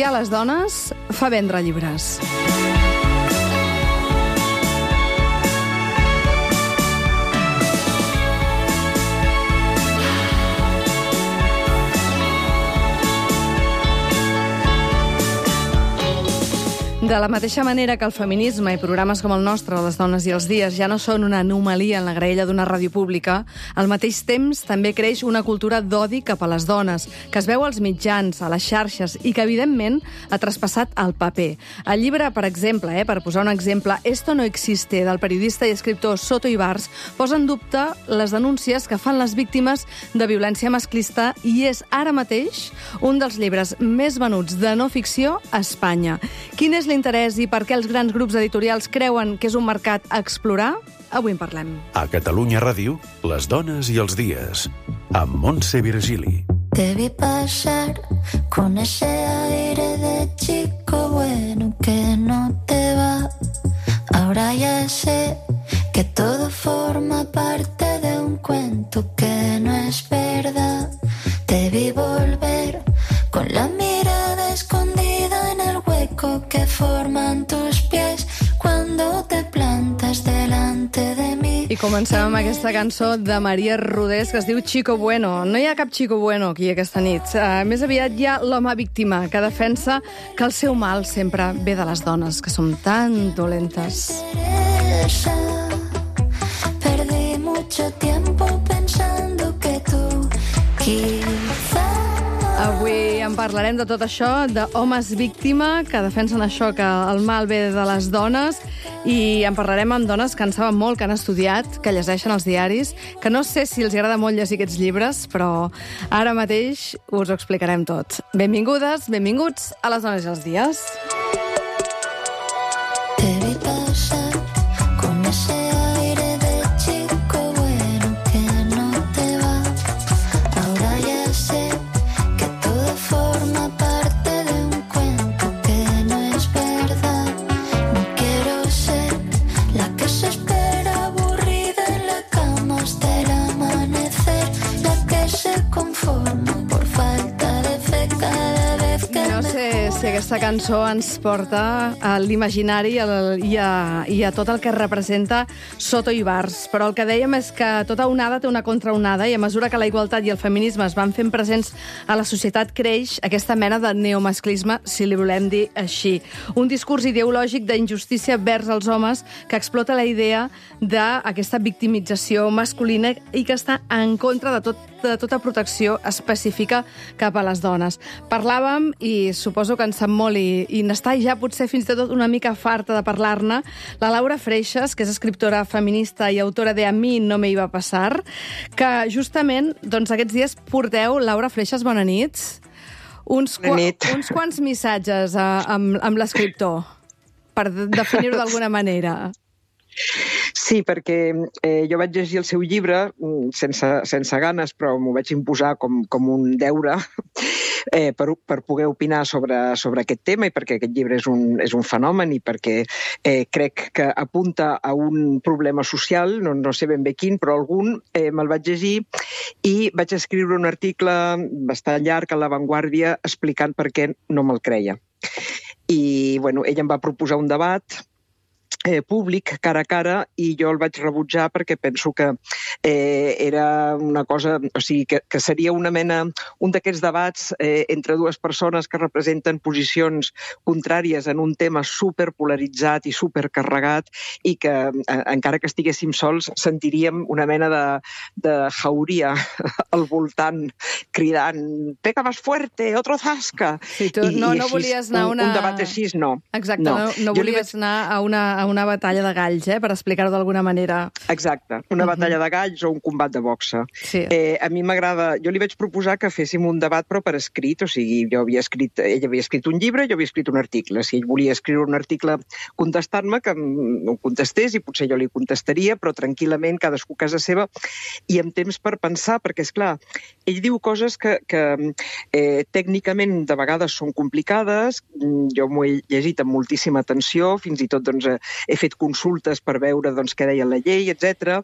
Odiar les dones fa vendre llibres. De la mateixa manera que el feminisme i programes com el nostre, Les dones i els dies, ja no són una anomalia en la graella d'una ràdio pública, al mateix temps també creix una cultura d'odi cap a les dones, que es veu als mitjans, a les xarxes i que, evidentment, ha traspassat al paper. El llibre, per exemple, per posar un exemple, Esto no existe, del periodista i escriptor Soto Ibars, posa en dubte les denúncies que fan les víctimes de violència masclista i és ara mateix un dels llibres més venuts de no ficció a Espanya. Quin és l'interès i per què els grans grups editorials creuen que és un mercat a explorar? Avui en parlem. A Catalunya Ràdio, Les dones i els dies, amb Montse Virgili. Te vi pasar con ese aire de chico bueno que no te va. Ahora ya sé que todo forma parte de un cuento que no es verdad. Te vi volver con la mirada escondida en el hueco que forman tus pies cuando te plantas delante de mí. I comencem amb aquesta cançó de Maria Rodés que es diu Chico Bueno. No hi ha cap Chico Bueno aquí aquesta nit. Més aviat hi ha l'home víctima que defensa que el seu mal sempre ve de les dones, que som tan dolentes. Perdí mucho tiempo pensando que tú quizá. Avui en parlarem de tot això, d'homes víctima que defensen això, que el mal ve de les dones, i en parlarem amb dones que en saben molt, que han estudiat, que llegeixen els diaris, que no sé si els agrada molt llegir aquests llibres, però ara mateix us ho explicarem tot. Benvingudes, benvinguts a Les dones i els dies. Te vi pasar con ese aire de chico bueno que no te va. Ahora ya sé que todo forma parte de un cuento que no es verdad. No quiero ser la que se espera aburrida en la cama hasta el amanecer, la que se conforma por falta de fe cada vez que No sé si aquesta cançó ens porta a l'imaginari i a tot el que representa Soto Ibars, però el que dèiem és que tota onada té una contraonada i a mesura que la igualtat i el feminisme es van fent presents a la societat creix aquesta mena de neomasclisme, si li volem dir així. Un discurs ideològic d'injustícia vers els homes que explota la idea d'aquesta victimització masculina i que està en contra de tota protecció específica cap a les dones. Parlàvem, i suposo que en sap molt i n'està ja potser fins i tot una mica farta de parlar-ne, la Laura Freixas, que és escriptora feminista i autora de A mi no me iba a pasar, que justament doncs, aquests dies porteu, Laura Freixas, bona nit, uns quants missatges amb l'escriptor, per definir-ho d'alguna manera. Sí, perquè jo vaig llegir el seu llibre sense ganes, però m'ho vaig imposar com un deure per poder opinar sobre aquest tema i perquè aquest llibre és un fenomen i perquè crec que apunta a un problema social, no sé ben bé quin, però algun, me'l vaig llegir i vaig escriure un article bastant llarg a La Vanguardia explicant per què no me'l creia. I, bueno, ella em va proposar un debat públic, cara a cara, i jo el vaig rebutjar perquè penso que era una cosa, o sigui, que seria una mena, un d'aquests debats entre dues persones que representen posicions contràries en un tema superpolaritzat i supercarregat i que, encara que estiguéssim sols, sentiríem una mena de jauria al voltant, cridant «Pega más fuerte, otro zasca!» Sí, tu no volies anar a un debat així, no. Exacte, no volies anar a una batalla de galls, per explicar-ho d'alguna manera. Exacte, una batalla de galls o un combat de boxa. Sí. A mi m'agrada... Jo li vaig proposar que féssim un debat, però per escrit, o sigui, ell havia escrit un llibre, jo havia escrit un article. Si ell volia escriure un article contestant-me, que em contestés, i potser jo li contestaria, però tranquil·lament, cadascú a casa seva, i amb temps per pensar, perquè, és clar, ell diu coses que tècnicament de vegades són complicades, jo m'ho he llegit amb moltíssima atenció, fins i tot doncs, he fet consultes per veure doncs, què deia la llei, etc.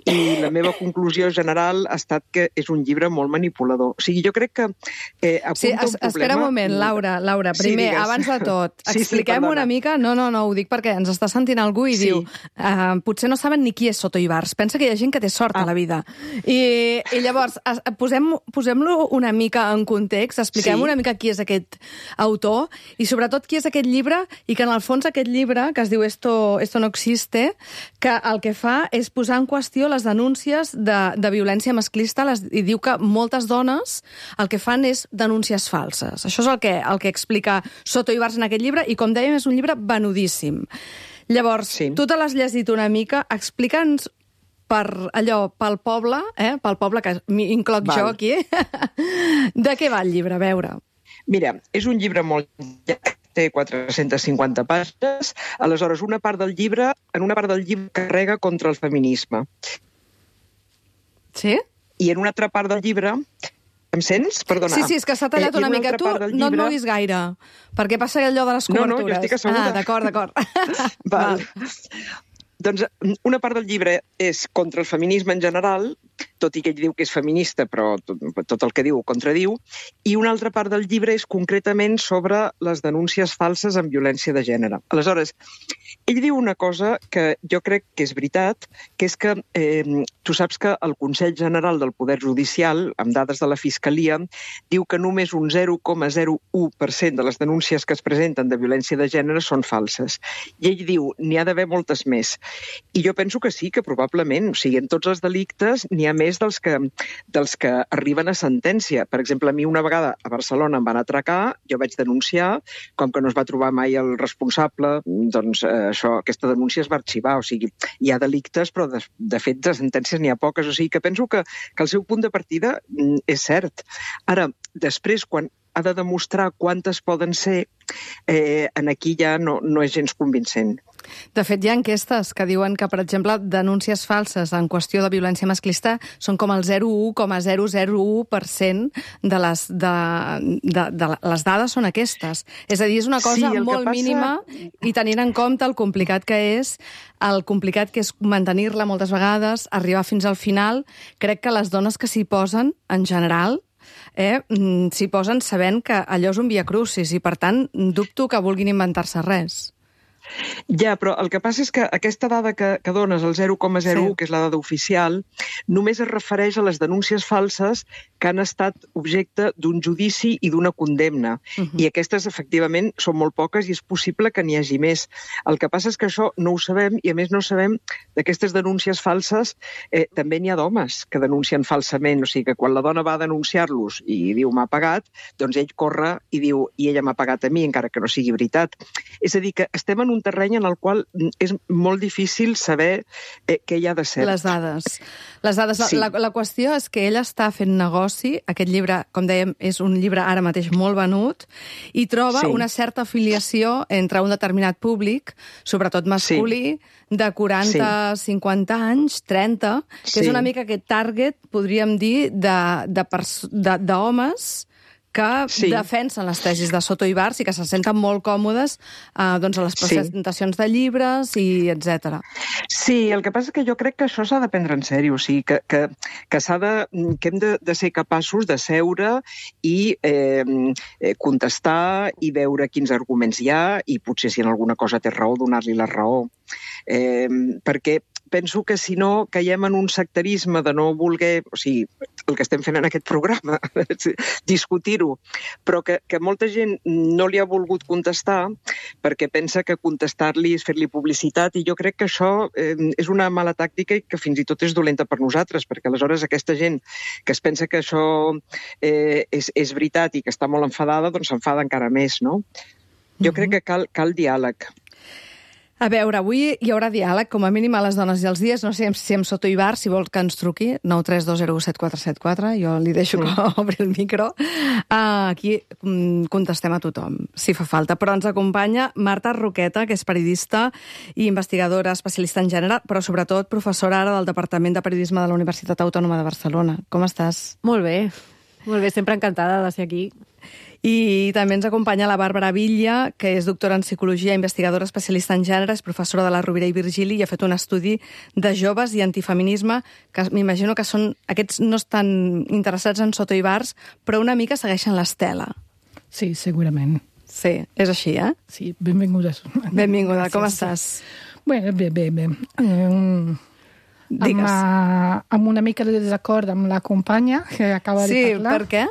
I la meva conclusió general ha estat que és un llibre molt manipulador. O sigui, jo crec que apunta un problema... Espera un moment, Laura, primer, digues. abans de tot, expliquem una mica... No, ho dic perquè ens està sentint algú i diu potser no saben ni qui és Soto Ibars. Pensa que hi ha gent que té sort a la vida. I llavors, posem-lo una mica en context, expliquem una mica qui és aquest autor i sobretot qui és aquest llibre i que en el fons aquest llibre, que es diu Esto no existe, que el que fa és posar en qüestió les denúncies de violència masclista i diu que moltes dones el que fan és denúncies falses. Això és el que explica Soto Ibars en aquest llibre i, com dèiem, és un llibre venudíssim. Llavors, tu te l'has llegit una mica, explica'ns pel poble, pel poble que incloc jo aquí, de què va el llibre, a veure. Mira, és un llibre molt llarg, té 450 pàgines, aleshores en una part del llibre carrega contra el feminisme. Sí? I en una altra part del llibre... Em sents? Perdona. Sí, és que s'ha tallat una mica. Tu no et moguis gaire, perquè passa allò de les cobertures. No, jo estic asseguda. D'acord. Val. Doncs una part del llibre és contra el feminisme en general, tot i que ell diu que és feminista, però tot el que diu ho contradiu, i una altra part del llibre és concretament sobre les denúncies falses en violència de gènere. Aleshores, ell diu una cosa que jo crec que és veritat, que és que tu saps que el Consell General del Poder Judicial, amb dades de la Fiscalia, diu que només un 0,01% de les denúncies que es presenten de violència de gènere són falses. I ell diu, n'hi ha d'haver moltes més. I jo penso que sí, que probablement, o sigui, en tots els delictes n'hi ha més dels que arriben a sentència. Per exemple, a mi una vegada a Barcelona em van atracar, jo vaig denunciar, com que no es va trobar mai el responsable, doncs aquesta denúncia es va arxivar. O sigui, hi ha delictes, però de fet de sentències n'hi ha poques. O sigui, que penso que el seu punt de partida és cert. Ara, després, quan ha de demostrar quantes poden ser, aquí ja no és gens convincent. De fet, hi ha enquestes que diuen que, per exemple, denúncies falses en qüestió de violència masclista són com el 0,001% de les dades són aquestes. És a dir, és una cosa molt mínima i tenint en compte el complicat que és mantenir-la moltes vegades, arribar fins al final. Crec que les dones que s'hi posen, en general, s'hi posen sabent que allò és un viacrucis i, per tant, dubto que vulguin inventar-se res. Ja, però el que passa és que aquesta dada que dones, el 0,01, que és la dada oficial, només es refereix a les denúncies falses que han estat objecte d'un judici i d'una condemna. I aquestes, efectivament, són molt poques i és possible que n'hi hagi més. El que passa és que això no ho sabem i, a més, no sabem d'aquestes denúncies falses. També n'hi ha d'homes que denuncien falsament. O sigui que quan la dona va a denunciar-los i diu m'ha pagat, doncs ell corre i diu i ella m'ha pagat a mi, encara que no sigui veritat. És a dir, que estem en un terreny en el qual és molt difícil saber què hi ha de ser. Les dades. Sí. La qüestió és que ell està fent negoci, aquest llibre, com dèiem, és un llibre ara mateix molt venut, i troba una certa afiliació entre un determinat públic, sobretot masculí, de 40, 50 anys, 30, que és una mica aquest target, podríem dir, d'homes que defensen les tesis de Soto Ibars i que se senten molt còmodes a les presentacions de llibres i etc. Sí, el que passa és que jo crec que això s'ha de prendre en sèrio, o sigui, que hem de ser capaços de seure i contestar i veure quins arguments hi ha i potser si en alguna cosa té raó, donar-li la raó. Perquè penso que si no caiem en un sectarisme de no voler, o sigui, el que estem fent en aquest programa, discutir-ho, però que molta gent no li ha volgut contestar perquè pensa que contestar-li és fer-li publicitat i jo crec que això és una mala tàctica i que fins i tot és dolenta per nosaltres, perquè aleshores aquesta gent que es pensa que això és veritat i que està molt enfadada, doncs s'enfada encara més, no? Jo crec que cal diàleg. A veure, avui hi haurà diàleg, com a mínim a les dones i els dies. No sé si amb Soto Ibars, si vol que ens truqui, 932017474, jo li deixo que obri el micro. Aquí contestem a tothom, si fa falta. Però ens acompanya Marta Roqueta, que és periodista i investigadora especialista en gènere, però sobretot professora ara del Departament de Periodisme de la Universitat Autònoma de Barcelona. Com estàs? Molt bé, sempre encantada de ser aquí. I també ens acompanya la Bàrbara Villa, que és doctora en psicologia, investigadora especialista en gènere, és professora de la Rovira i Virgili i ha fet un estudi de joves i antifeminisme, que m'imagino que aquests no estan interessats en Soto i Bars, però una mica segueixen l'estela. Sí, segurament. Sí, és així, Sí, benvinguda. Benvinguda, com estàs? Bé. Amb una mica de desacord amb la companya que acaba de parlar. Sí, per què?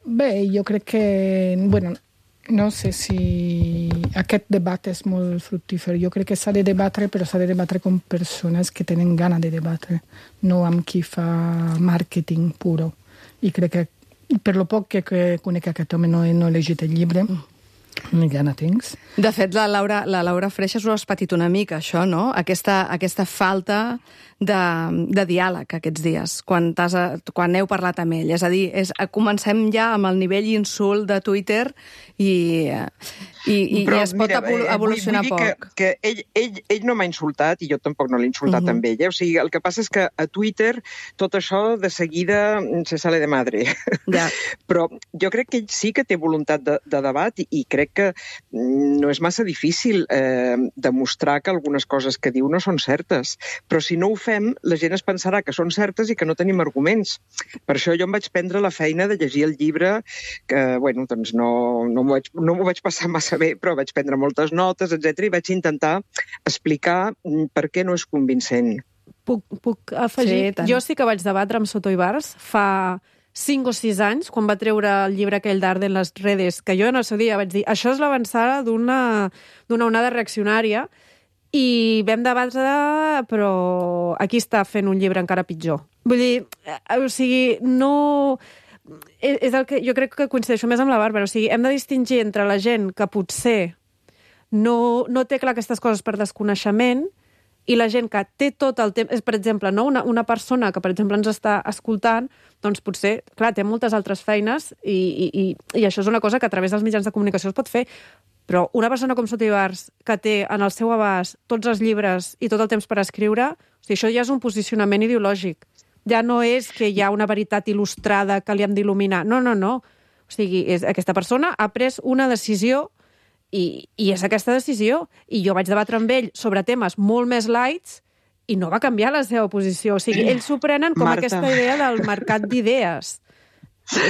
Bé, jo crec que... no sé si aquest debat és molt fructífer. Jo crec que s'ha de debatre, però s'ha de debatre amb persones que tenen gana de debatre, no amb qui fa màrqueting puro. I crec que, per lo poc que conec aquest home, no he llegit el llibre, ni gana tens. De fet, la Laura Freixas ho has patit una mica, això, no? Aquesta falta de diàleg aquests dies, quan heu parlat amb ell. És a dir, comencem ja amb el nivell insult de Twitter i es pot evolucionar poc. Que ell no m'ha insultat i jo tampoc no l'he insultat amb ell. O sigui, el que passa és que a Twitter tot això de seguida se sale de madre. Ja. Però jo crec que ell sí que té voluntat de debat i crec que no és massa difícil demostrar que algunes coses que diu no són certes. Però si no ho fem, la gent es pensarà que són certes i que no tenim arguments. Per això jo em vaig prendre la feina de llegir el llibre, que, bueno, doncs no m'ho vaig passar massa bé, però vaig prendre moltes notes, etc. i vaig intentar explicar per què no és convincent. Puc afegir? Sí, jo sí que vaig debatre amb Soto i Bars fa 5 o 6 anys, quan va treure el llibre aquell d'Arde en les redes, que jo en el seu dia vaig dir això és l'avançada d'una onada reaccionària, i vam debatre, però aquí està fent un llibre encara pitjor. Vull dir, o sigui, no... És el que jo crec que coincideixo més amb la Bàrbara. O sigui, hem de distingir entre la gent que potser no té clar aquestes coses per desconeixement i la gent que té tot el temps... Per exemple, no? Una persona que, per exemple, ens està escoltant, doncs potser, clar, té moltes altres feines i això és una cosa que a través dels mitjans de comunicació es pot fer. Però una persona com Soto i Bars, que té en el seu abast tots els llibres i tot el temps per escriure, o sigui, això ja és un posicionament ideològic. Ja no és que hi ha una veritat il·lustrada que li hem d'il·luminar. No. O sigui, aquesta persona ha pres una decisió i és aquesta decisió. I jo vaig debatre amb ell sobre temes molt més lights i no va canviar la seva posició. O sigui, ells s'ho prenen com aquesta idea del mercat d'idees.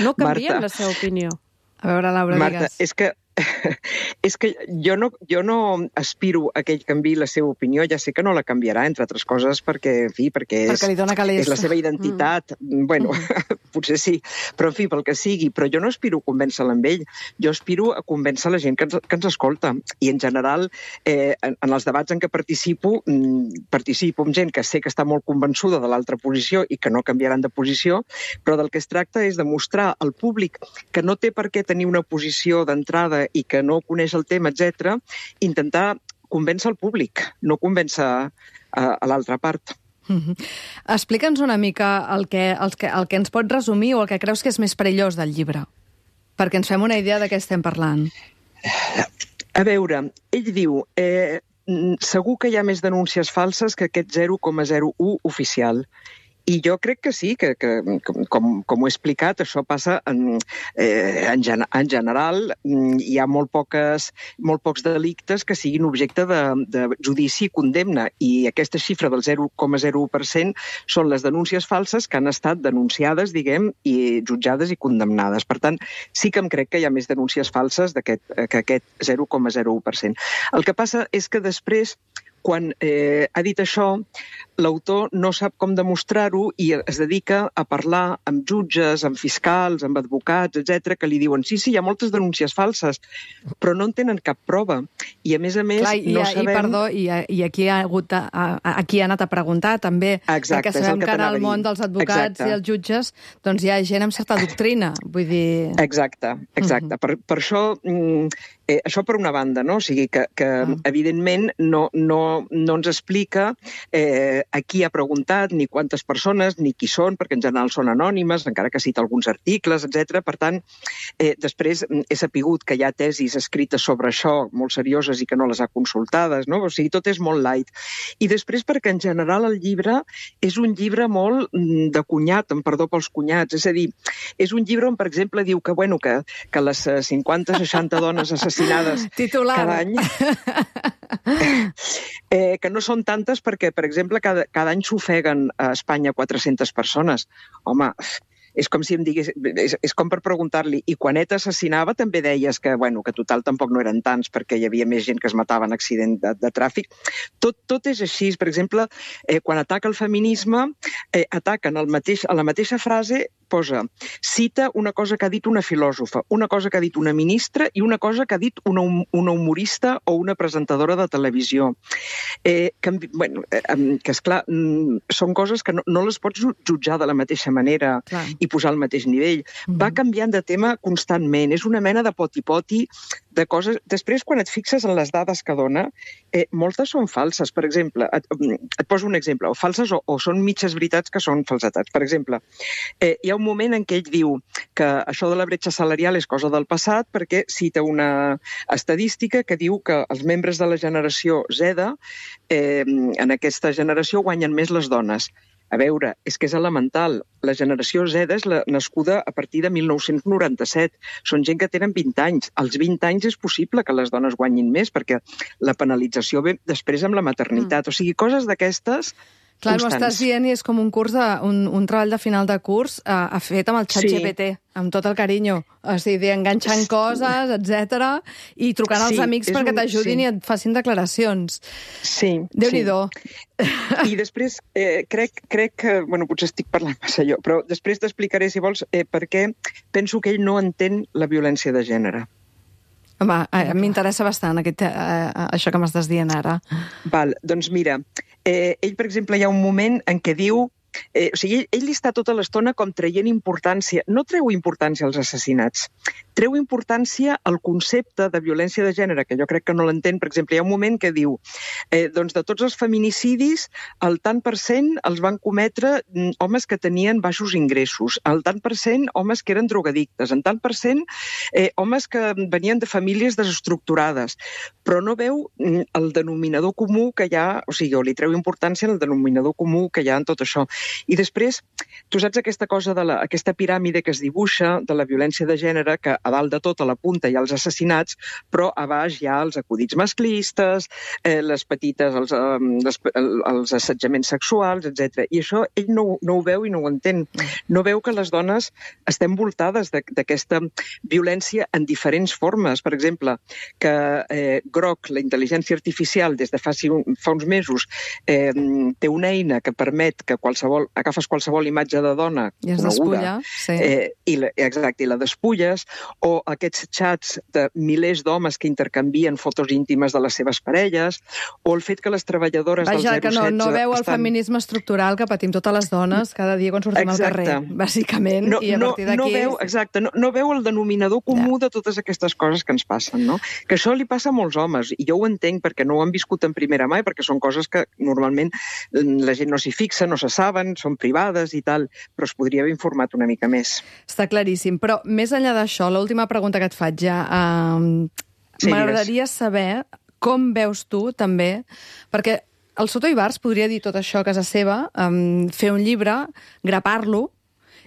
No canvien la seva opinió. A veure, Laura, Marta, digues. És que jo no aspiro a que ell canviï la seva opinió, ja sé que no la canviarà, entre altres coses, perquè li dona calés. És la seva identitat. Bueno, potser sí, però en fi, pel que sigui. Però jo no aspiro a convèncer-la amb ell, jo aspiro a convèncer la gent que ens escolta. I en general, en els debats en què participo amb gent que sé que està molt convençuda de l'altra posició i que no canviaran de posició, però del que es tracta és de mostrar al públic que no té per què tenir una posició d'entrada i que no coneix el tema, etc., intentar convèncer el públic, no convèncer a l'altra part. Explica'ns una mica el que ens pot resumir o el que creus que és més perillós del llibre, perquè ens fem una idea de què estem parlant. A veure, ell diu... segur que hi ha més denúncies falses que aquest 0,01 oficial. I jo crec que sí, que com ho he explicat, això passa en general. Hi ha molt pocs delictes que siguin objecte de judici i condemna. I aquesta xifra del 0,01% són les denúncies falses que han estat denunciades, diguem, i jutjades i condemnades. Per tant, sí que em crec que hi ha més denúncies falses que aquest 0,01%. El que passa és que després, quan ha dit això, l'autor no sap com demostrar-ho i es dedica a parlar amb jutges, amb fiscals, amb advocats, etc., que li diuen sí, hi ha moltes denúncies falses, però no en tenen cap prova. I a més, clar, no sabem... I aquí ha anat a preguntar també, perquè sabem que en el món dels advocats i els jutges doncs hi ha gent amb certa doctrina, vull dir... Exacte. Per això Això per una banda, no? O sigui que evidentment, no ens explica a qui ha preguntat, ni quantes persones, ni qui són, perquè en general són anònimes, encara que cita alguns articles, etc. Per tant, després he sapigut que hi ha tesis escrites sobre això, molt serioses i que no les ha consultades, no? O sigui, tot és molt light. I després perquè en general el llibre és un llibre molt de cunyat, amb perdó pels cunyats, és a dir, és un llibre on, per exemple, diu que les 50-60 dones assassinades cada any, que no són tantes perquè, per exemple, cada any s'ofeguen a Espanya 400 persones. Home, és com si em digués, és com per preguntar-li, i quan ETA assassinava també deies que total tampoc no eren tants perquè hi havia més gent que es matava en accident de tràfic. Tot és així. Per exemple, quan ataca el feminisme, ataquen a la mateixa frase, cita una cosa que ha dit una filòsofa, una cosa que ha dit una ministra i una cosa que ha dit una humorista o una presentadora de televisió. Que, esclar, són coses que no les pots jutjar de la mateixa manera i posar al mateix nivell. Va canviant de tema constantment. És una mena de poti-poti de coses. Després, quan et fixes en les dades que dona, moltes són falses. Per exemple, et poso un exemple, o falses o són mitges veritats que són falsetats. Per exemple, hi ha un moment en què ell diu que això de la bretxa salarial és cosa del passat perquè cita una estadística que diu que els membres de la generació Z, en aquesta generació, guanyen més les dones. A veure, és que és elemental. La generació Z és nascuda a partir de 1997. Són gent que tenen 20 anys. Als 20 anys és possible que les dones guanyin més perquè la penalització ve després amb la maternitat. O sigui, coses d'aquestes Clar, constants. M'ho estàs dient i és com un treball de final de curs fet amb el xat GPT, amb tot el carinyo. O sigui, enganxant coses, etc. I trucant als amics perquè t'ajudin i et facin declaracions. Sí. Déu-n'hi-do. I després crec que, potser estic parlant massa jo, però després t'explicaré, si vols, per què penso que ell no entén la violència de gènere. Home, m'interessa bastant això que m'estàs dient ara. Val, doncs mira, ell, per exemple, hi ha un moment en què diu... O sigui, ell està tota l'estona com traient importància. No treu importància als assassinats, treu importància al concepte de violència de gènere, que jo crec que no l'entén. Per exemple, hi ha un moment que diu doncs de tots els feminicidis, el tant per cent els van cometre homes que tenien baixos ingressos, el tant per cent homes que eren drogadictes, el tant per cent homes que venien de famílies desestructurades, però no veu el denominador comú que hi ha, o sigui, o li treu importància en el denominador comú que hi ha en tot això. I després, tu saps aquesta cosa aquesta piràmide que es dibuixa de la violència de gènere, que a dalt de tot, a la punta, hi ha els assassinats, però a baix hi ha els acudits masclistes, les petites, els assetjaments sexuals, etc. I això ell no ho veu i no ho entén. No veu que les dones estem voltades d'aquesta violència en diferents formes. Per exemple, que Grok, la intel·ligència artificial, des de fa uns mesos, té una eina que permet que agafes qualsevol imatge de dona coneguda i la despulles, o aquests xats de milers d'homes que intercanvien fotos íntimes de les seves parelles, o el fet que les treballadores del 016... Vaja, que no veu el feminisme estructural que patim totes les dones cada dia quan sortim al carrer, bàsicament, i a partir d'aquí... Exacte, no veu el denominador comú de totes aquestes coses que ens passen, no? Que això li passa a molts homes, i jo ho entenc perquè no ho han viscut en primera mà, perquè són coses que normalment la gent no s'hi fixa, no se saben, són privades i tal, però es podria haver informat una mica més. Està claríssim, però més enllà d'això, l'última pregunta que et faig ja, m'agradaria saber com veus tu també, perquè el Soto Ibars podria dir tot això a casa seva, fer un llibre, grapar-lo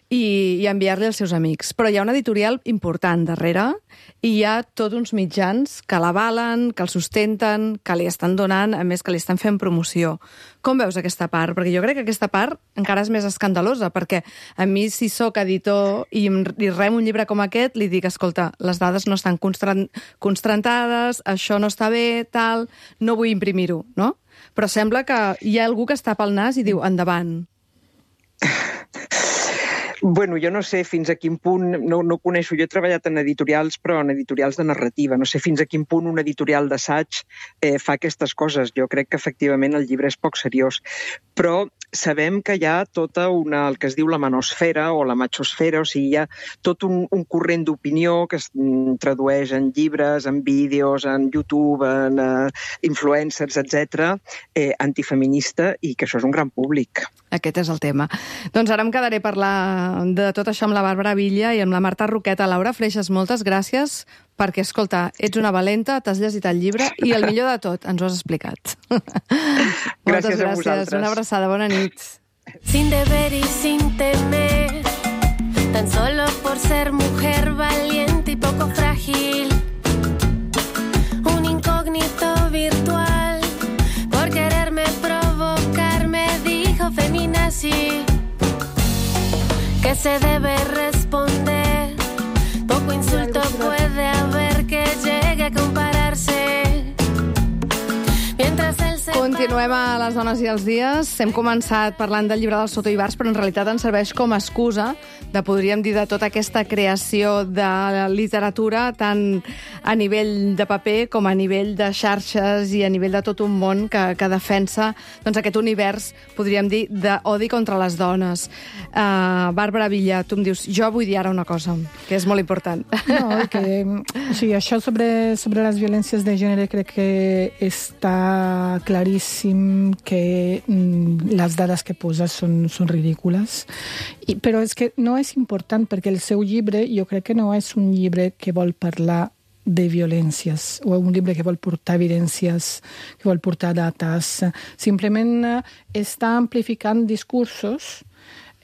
i enviar-li als seus amics. Però hi ha una editorial important darrere i hi ha tots uns mitjans que l'avalen, que el sustenten, que li estan donant, a més que li estan fent promoció. Com veus aquesta part? Perquè jo crec que aquesta part encara és més escandalosa, perquè a mi, si sóc editor i rem un llibre com aquest, li dic, escolta, les dades no estan constantades, això no està bé, tal, no vull imprimir-ho, no? Però sembla que hi ha algú que es tapa el nas i diu, endavant. Bueno, jo no sé fins a quin punt, no coneixo, jo he treballat en editorials, però en editorials de narrativa, no sé fins a quin punt un editorial d'assaig fa aquestes coses. Jo crec que efectivament el llibre és poc seriós, però sabem que hi ha tota el que es diu la manosfera o la machosfera, o sigui, hi ha tot un corrent d'opinió que es tradueix en llibres, en vídeos, en YouTube, en influencers, etc., antifeminista, i que això és un gran públic. Aquest és el tema. Doncs ara em quedaré a parlar de tot això amb la Bàrbara Villa i amb la Marta Roqueta. Laura Freixas, moltes gràcies, perquè, escolta, ets una valenta, t'has llegit el llibre i el millor de tot, ens ho has explicat. Gràcies a vosaltres. Una abraçada, bona nit. Sin deber y sin temer, tan solo por ser mujer valiente y poco frágil, un incógnito virtual, por quererme provocar me dijo feminazi, que se debe responder, poco insulto puede haber que llegue a compararse. Continuem a les dones i els dies. Hem començat parlant del llibre del Soto Ibars, però en realitat ens serveix com a excusa de, podríem dir, de tota aquesta creació de literatura, tant a nivell de paper com a nivell de xarxes i a nivell de tot un món que defensa doncs, aquest univers, podríem dir, d'odi contra les dones. Bàrbara Villa, tu em dius, jo vull dir ara una cosa, que és molt important. No, que, sí, això sobre les violències de gènere crec que està claríssim que les dades que posa són ridícules. Però és que no és important, perquè el seu llibre jo crec que no és un llibre que vol parlar de violències, o un llibre que vol portar evidències, que vol portar dates. Simplement està amplificant discursos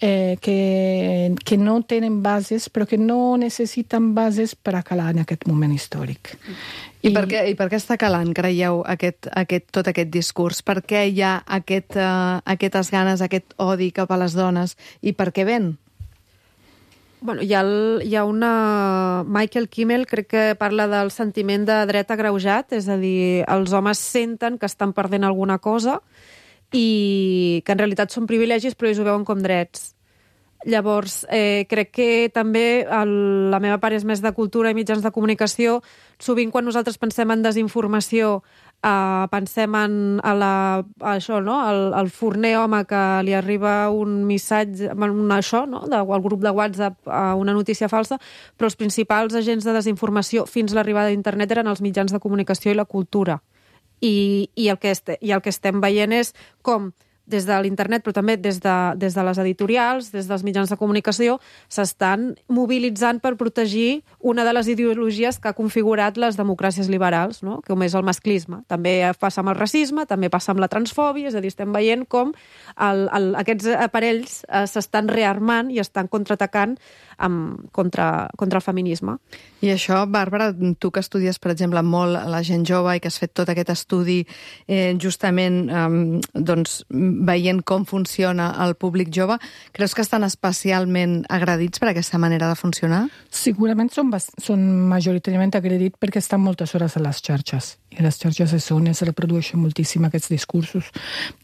que no tenen bases, però que no necessiten bases per a calar en aquest moment històric. I per què està calant, creieu, tot aquest discurs? Per què hi ha aquestes ganes, aquest odi cap a les dones? I per què ven? Bueno, hi ha una... Michael Kimmel crec que parla del sentiment de dret agreujat, és a dir, els homes senten que estan perdent alguna cosa i que en realitat són privilegis, però ells ho veuen com drets. Llavors, crec que també la meva part és més de cultura i mitjans de comunicació. Sovint, quan nosaltres pensem en desinformació, pensem en això, no? El forner home que li arriba un missatge, això, no? Al grup de WhatsApp, una notícia falsa, però els principals agents de desinformació fins a l'arribada d'internet eren els mitjans de comunicació i la cultura. I el que estem veient és com des de l'internet, però també des de les editorials, des dels mitjans de comunicació, s'estan mobilitzant per protegir una de les ideologies que ha configurat les democràcies liberals, no? Com és el masclisme. També passa amb el racisme, també passa amb la transfòbia, és a dir, estem veient com aquests aparells s'estan rearmant i estan contraatacant contra el feminisme. I això, Bàrbara, tu que estudies, per exemple, molt la gent jove i que has fet tot aquest estudi justament doncs, veient com funciona el públic jove, creus que estan especialment agredits per aquesta manera de funcionar? Segurament són majoritàriament agredits perquè estan moltes hores a les xarxes. I a les xarxes és on es reprodueixen moltíssim aquests discursos.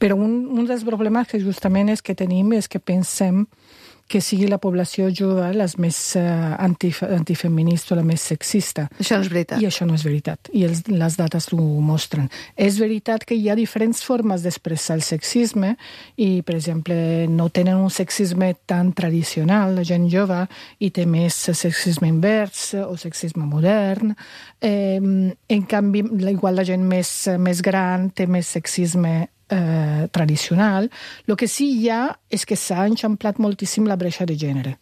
Però un dels problemes que justament és que tenim és que pensem que sigui la població jove la més antifeminista o la més sexista. Això no és veritat. I això no és veritat. I les dates ho mostren. És veritat que hi ha diferents formes d'expressar el sexisme i, per exemple, no tenen un sexisme tan tradicional, la gent jove, i té més sexisme invers o sexisme modern. En canvi, igual la gent més gran té més sexisme tradicional. El que sí hi ha és que s'ha enxamplat moltíssim la bretxa de gènere.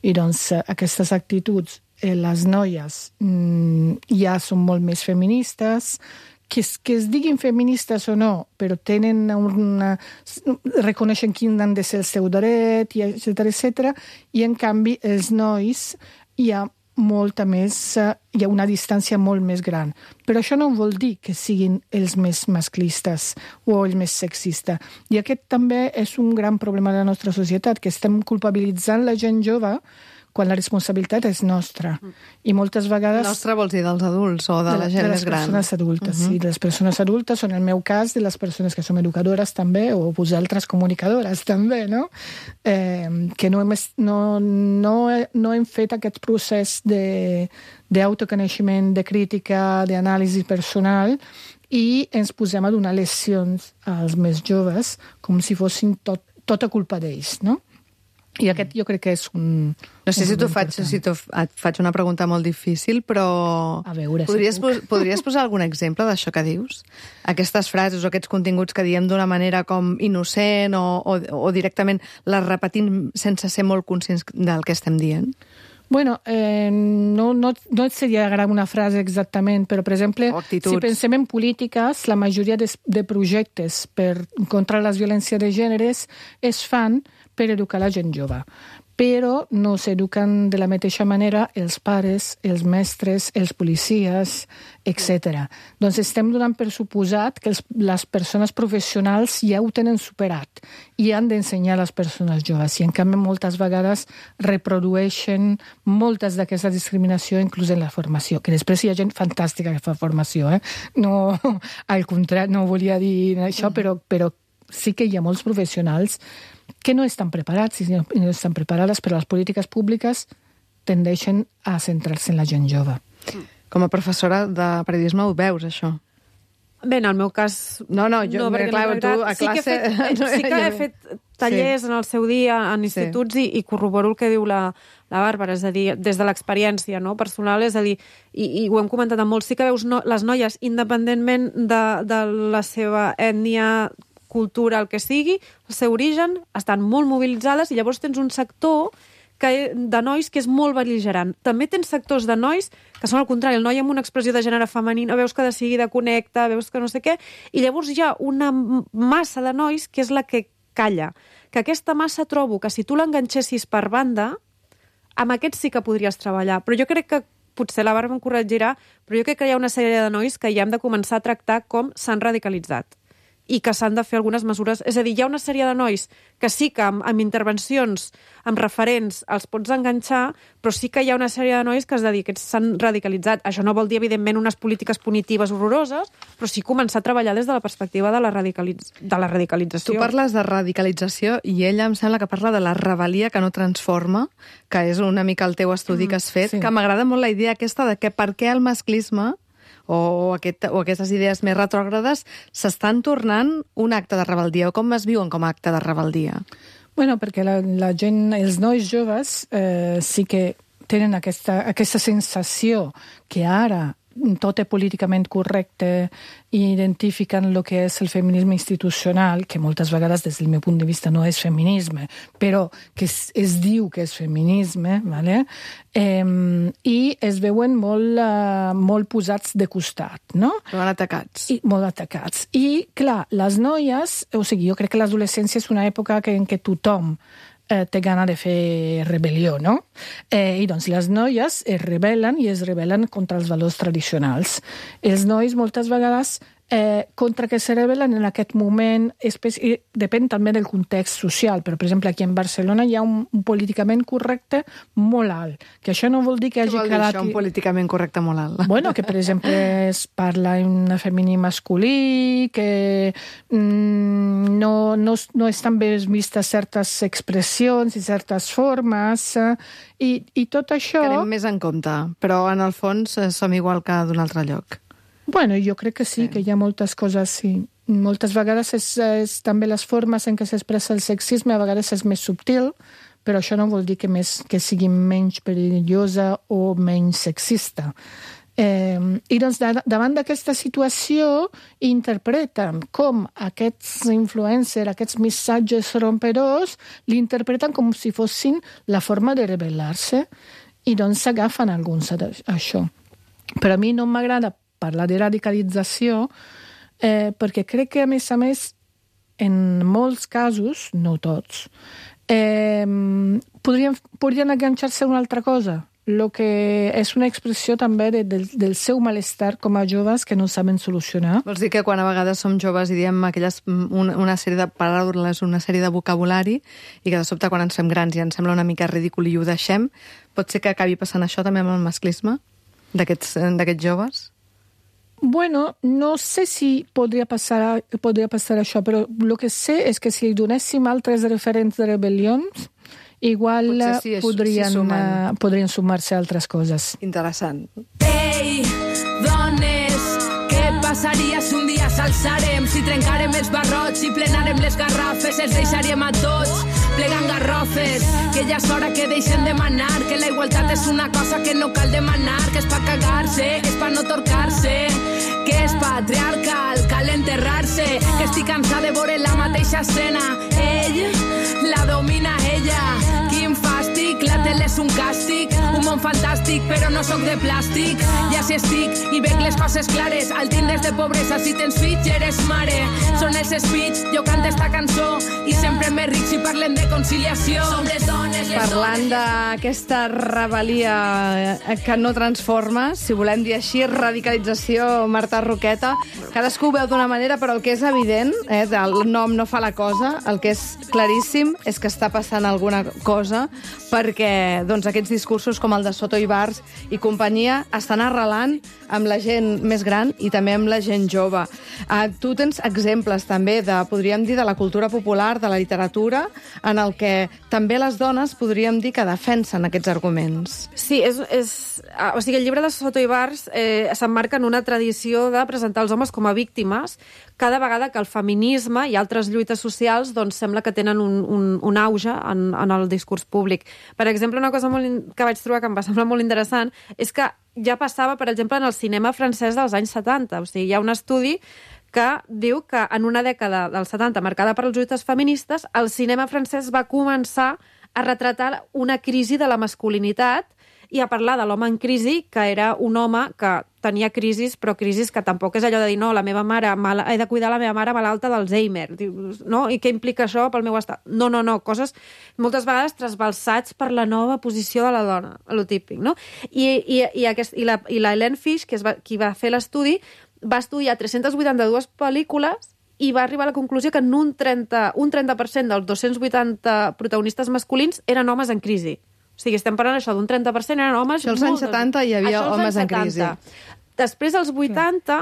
I doncs aquestes actituds, les noies ja són molt més feministes, que es diguin feministes o no, però reconeixen quin han de ser el seu dret, etc. I en canvi els nois hi ha hi ha una distància molt més gran. Però això no vol dir que siguin els més masclistes o els més sexistes. I aquest també és un gran problema de la nostra societat, que estem culpabilitzant la gent jove quan la responsabilitat és nostra. I moltes vegades... Nostra vols dir dels adults o de la gent més gran? De les persones adultes, sí. De les persones adultes, o en el meu cas, de les persones que som educadores també, o vosaltres comunicadores també, no? Que no hem fet aquest procés d'autoconeixement, de crítica, d'anàlisi personal, i ens posem a donar lecions als més joves com si fossin tot tota culpa d'ells, no? I aquest jo crec que és un... No sé si et faig una pregunta molt difícil, però A veure, podries posar algun exemple d'això que dius? Aquestes frases o aquests continguts que diem d'una manera com innocent o directament les repetim sense ser molt conscients del que estem dient? Bueno, no et seria agradar una frase exactament, però, per exemple, si pensem en polítiques, la majoria de projectes contra les violències de gèneres es fan per educar la gent jove. Però no s'eduquen de la mateixa manera els pares, els mestres, els policies, etc. Doncs estem donant per suposat que les persones professionals ja ho tenen superat i han d'ensenyar a les persones joves. I, en canvi, moltes vegades reprodueixen moltes d'aquesta discriminació, inclús en la formació, que després hi ha gent fantàstica que fa formació. No, al contrari, no volia dir això, però sí que hi ha molts professionals que no estan preparats i no estan preparades, però les polítiques públiques tendeixen a centrar-se en la gent jove. Com a professora de periodisme ho veus, això? Bé, en el meu cas... No, clar, tu a classe... Sí que he fet tallers en el seu dia en instituts i corroboro el que diu la Bàrbara, és a dir, des de l'experiència personal, és a dir, i ho hem comentat amb molts, sí que veus les noies, independentment de la seva ètnia, cultura, el que sigui, el seu origen, estan molt mobilitzades i llavors tens un sector de nois que és molt bel·ligerant. També tens sectors de nois que són al contrari, el noi amb una expressió de gènere femenina, veus que de seguida connecta, veus que no sé què, i llavors hi ha una massa de nois que és la que calla. Que aquesta massa trobo que si tu l'enganxessis per banda, amb aquests sí que podries treballar. Però jo crec que, potser la Bàrbara em corregirà, però jo crec que hi ha una sèrie de nois que ja hem de començar a tractar com s'han radicalitzat i que s'han de fer algunes mesures. És a dir, hi ha una sèrie de nois que sí que amb intervencions, amb referents, els pots enganxar, però sí que hi ha una sèrie de nois que es dediquen, s'han radicalitzat. Això no vol dir, evidentment, unes polítiques punitives horroroses, però sí començar a treballar des de la perspectiva de la radicalització. Tu parles de radicalització i ella em sembla que parla de la rebel·lia que no transforma, que és una mica el teu estudi que has fet, que m'agrada molt la idea aquesta de que per què el masclisme o aquestes idees més retrògrades s'estan tornant un acte de rebel·lia, o com es viuen com a acte de rebel·lia? Bueno, perquè la gent, els nois joves sí que tenen aquesta sensació que ara tot és políticament correcte i identifiquen el que és el feminisme institucional, que moltes vegades des del meu punt de vista no és feminisme, però que es diu que és feminisme, ¿vale? I es veuen molt posats de costat, no? Molt atacats. Molt atacats. I, clar, les noies, o sigui, jo crec que l'adolescència és una època en què tothom té gana de fer rebel·lió, no? I doncs les noies es rebel·len contra els valors tradicionals. Els nois moltes vegades contra què se rebel·len en aquest moment, depèn també del context social, però per exemple aquí en Barcelona hi ha un políticament correcte molt alt, que això no vol dir que hagi quedat... Què vol dir això, un políticament correcte molt alt? Bueno, que per exemple es parla en femení masculí, que no estan bé vistes certes expressions i certes formes, i tot això... Que anem més en compte, però en el fons som igual que d'un altre lloc. Bueno, jo crec que sí, que hi ha moltes coses, sí. Moltes vegades és també les formes en què s'expressa el sexisme, a vegades és més subtil, però això no vol dir que sigui menys perillosa o menys sexista. I doncs davant d'aquesta situació interpreten com aquests influencers, aquests missatges rompedors, l'interpreten com si fossin la forma de rebel·lar-se i doncs s'agafen alguns d'això. Però a mi no m'agrada parlar de radicalització, perquè crec que, a més, en molts casos, no tots, podrien enganxar-se a una altra cosa, el que és una expressió també del seu malestar com a joves que no saben solucionar. Vols dir que quan a vegades som joves i diem una sèrie de paraules, una sèrie de vocabulari, i que de sobte quan ens fem grans i ens sembla una mica ridícul i ho deixem, pot ser que acabi passant això també amb el masclisme d'aquests joves? Bueno, no sé si podria passar això, però el que sé és que si donéssim altres referents de rebel·lions, igual podrien sumar-se a altres coses. Interessant. Ei, dones, què passa? passaria si un dia s'alçarem, si trencarem els barrots, si plenarem les garrafes, els deixaríem a tots plegant garrofes, que ja és hora que deixen de manar, que la igualtat és una cosa que no cal demanar, que és pa cagar-se, és pa no torcar-se, que és patriarcal, cal enterrar-se, que estic cansada de veure la mateixa escena, ell la domina ella, quin fàstic, la tele és un càstig, un món fantàstic, però no sóc de plàstic, ja si estic i veig les coses clares, al tindres de pobresa, si tens fills ja eres mare, són els speech, jo canto esta cançó i sempre més ric si parlen de conciliació. Som les dones, Parlant d'aquesta rebel·lia que no transforma, si volem dir així, radicalització, Marta Roqueta, cadascú ho veu d'una manera, però el que és evident, el nom no fa la cosa, el que és claríssim és que està passant alguna cosa, perquè doncs, aquests discursos com el de Soto Ibars i companyia estan arrelant amb la gent més gran i també amb la gent jove. Tu tens exemples també podríem dir, de la cultura popular, de la literatura, en el que també les dones podríem dir que defensen aquests arguments. Sí, o sigui, el llibre de Soto Ibars s'emmarca en una tradició de presentar els homes com a víctimes cada vegada que el feminisme i altres lluites socials doncs, sembla que tenen un auge en el discurs públic. Per exemple, una cosa que vaig trobar que em va semblar molt interessant és que ja passava, per exemple, en el cinema francès dels anys 70. O sigui, hi ha un estudi que diu que en una dècada dels 70, marcada per les lluites feministes, el cinema francès va començar a retratar una crisi de la masculinitat i a parlar de l'home en crisi, que era un home que tenia crisis, però crisis que tampoc és allò de dir no, la meva mare, he de cuidar la meva mare malalta d'Alzheimer, no? I què implica això pel meu estat? No, coses moltes vegades trasbalsats per la nova posició de la dona, lo típic, no? I la Helene Fish, que qui va fer l'estudi, va estudiar 382 pel·lícules i va arribar a la conclusió que en un 30% dels 280 protagonistes masculins eren homes en crisi. O sigui, estem parlant això d'un 30% eren homes... Això als anys 70 hi havia homes en crisi. Després, als 80,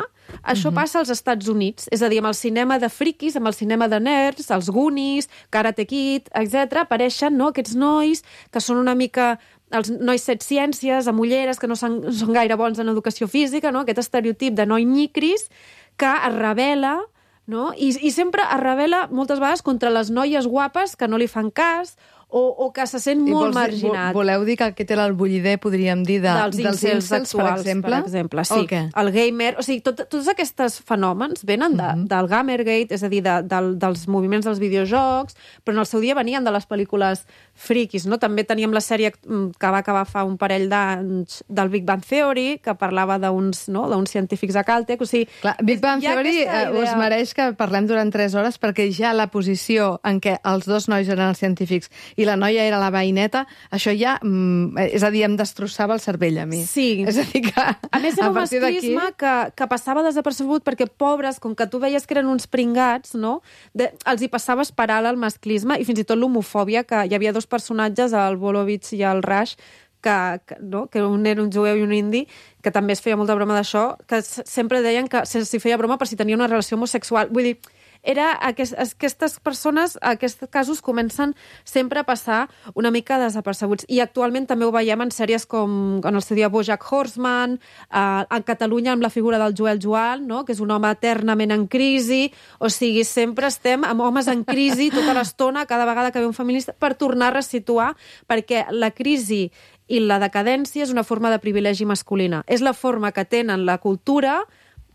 això passa als Estats Units. És a dir, amb el cinema de friquis, amb el cinema de nerds, els Goonies, Karate Kid, etc., apareixen aquests nois que són una mica... els nois set ciències, amb ulleres, que no són gaire bons en educació física, no? Aquest estereotip de noi nyicris que es rebel·la, no? I sempre es rebel·la moltes vegades contra les noies guapes que no li fan cas o que se sent molt marginat. Voleu dir que aquest era el bullider, podríem dir, dels incels actuals, per exemple? Sí. Okay. El gamer... O sigui, tots aquests fenòmens venen del Gamergate, és a dir, dels moviments dels videojocs, però en el seu dia venien de les pel·lícules friquis, no? També teníem la sèrie que va acabar fa un parell d'anys del Big Bang Theory, que parlava d'uns científics a Caltech. O sigui, clar, Big Bang Theory us mereix que parlem durant 3 hores, perquè ja la posició en què els dos nois eren els científics i la noia era la veïneta, això ja, és a dir, em destrossava el cervell a mi. Sí. És a dir que... A més, era un masclisme que passava desapercebut perquè, pobres, com que tu veies que eren uns pringats, no? Els hi passaves per alt el masclisme i fins i tot l'homofòbia, que hi havia 2 personatges, el Volovich i el Rush, que un era un jueu i un indi, que també es feia molta broma d'això, que sempre deien que s'hi feia broma per si tenia una relació homosexual. Vull dir, aquestes persones, aquests casos comencen sempre a passar una mica desapercebuts. I actualment també ho veiem en sèries com en el seu dia BoJack Horseman, a Catalunya amb la figura del Joel Joan, no? Que és un home eternament en crisi. O sigui, sempre estem amb homes en crisi tota l'estona, cada vegada que ve un feminista, per tornar a resituar, perquè la crisi i la decadència és una forma de privilegi masculina. És la forma que tenen la cultura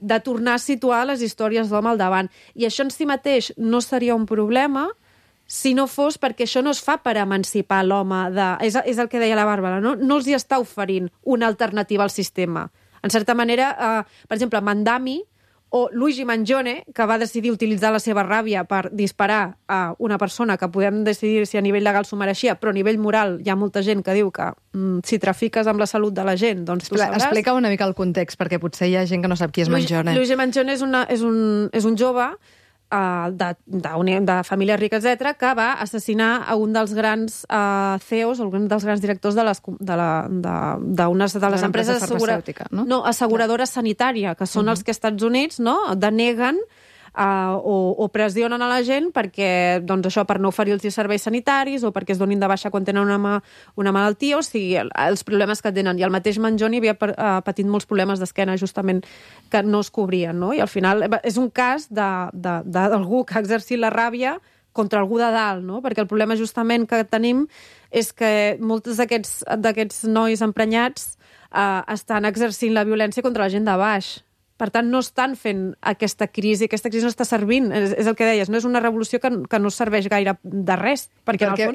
de tornar a situar les històries d'home al davant. I això en si mateix no seria un problema si no fos perquè això no es fa per emancipar l'home. És el que deia la Bàrbara, no? No els hi està oferint una alternativa al sistema. En certa manera, per exemple, Mandami o Luigi Mangione, que va decidir utilitzar la seva ràbia per disparar a una persona que podem decidir si a nivell legal s'ho mereixia, però a nivell moral hi ha molta gent que diu que si trafiques amb la salut de la gent, doncs tu sabràs. Explica una mica el context, perquè potser hi ha gent que no sap qui és Mangione. Luigi Mangione és un jove de família rica, etc., que va assassinar a un dels grans CEOs, un dels grans directors d'unes de les empreses farmacèutica, no? No, asseguradora sanitària, que són els que als Estats Units, no, deneguen o pressionen a la gent perquè, doncs això, per no oferir-los serveis sanitaris o perquè es donin de baixa quan tenen una malaltia, o sigui, els problemes que tenen. I el mateix Manjoni havia patit molts problemes d'esquena, justament, que no es cobrien, no? I al final és un cas d'algú que ha exercit la ràbia contra algú de dalt, no? Perquè el problema justament que tenim és que molts d'aquests nois emprenyats estan exercint la violència contra la gent de baix. Per tant, no estan fent aquesta crisi no està servint, és el que deies, no és una revolució que no serveix gaire de res.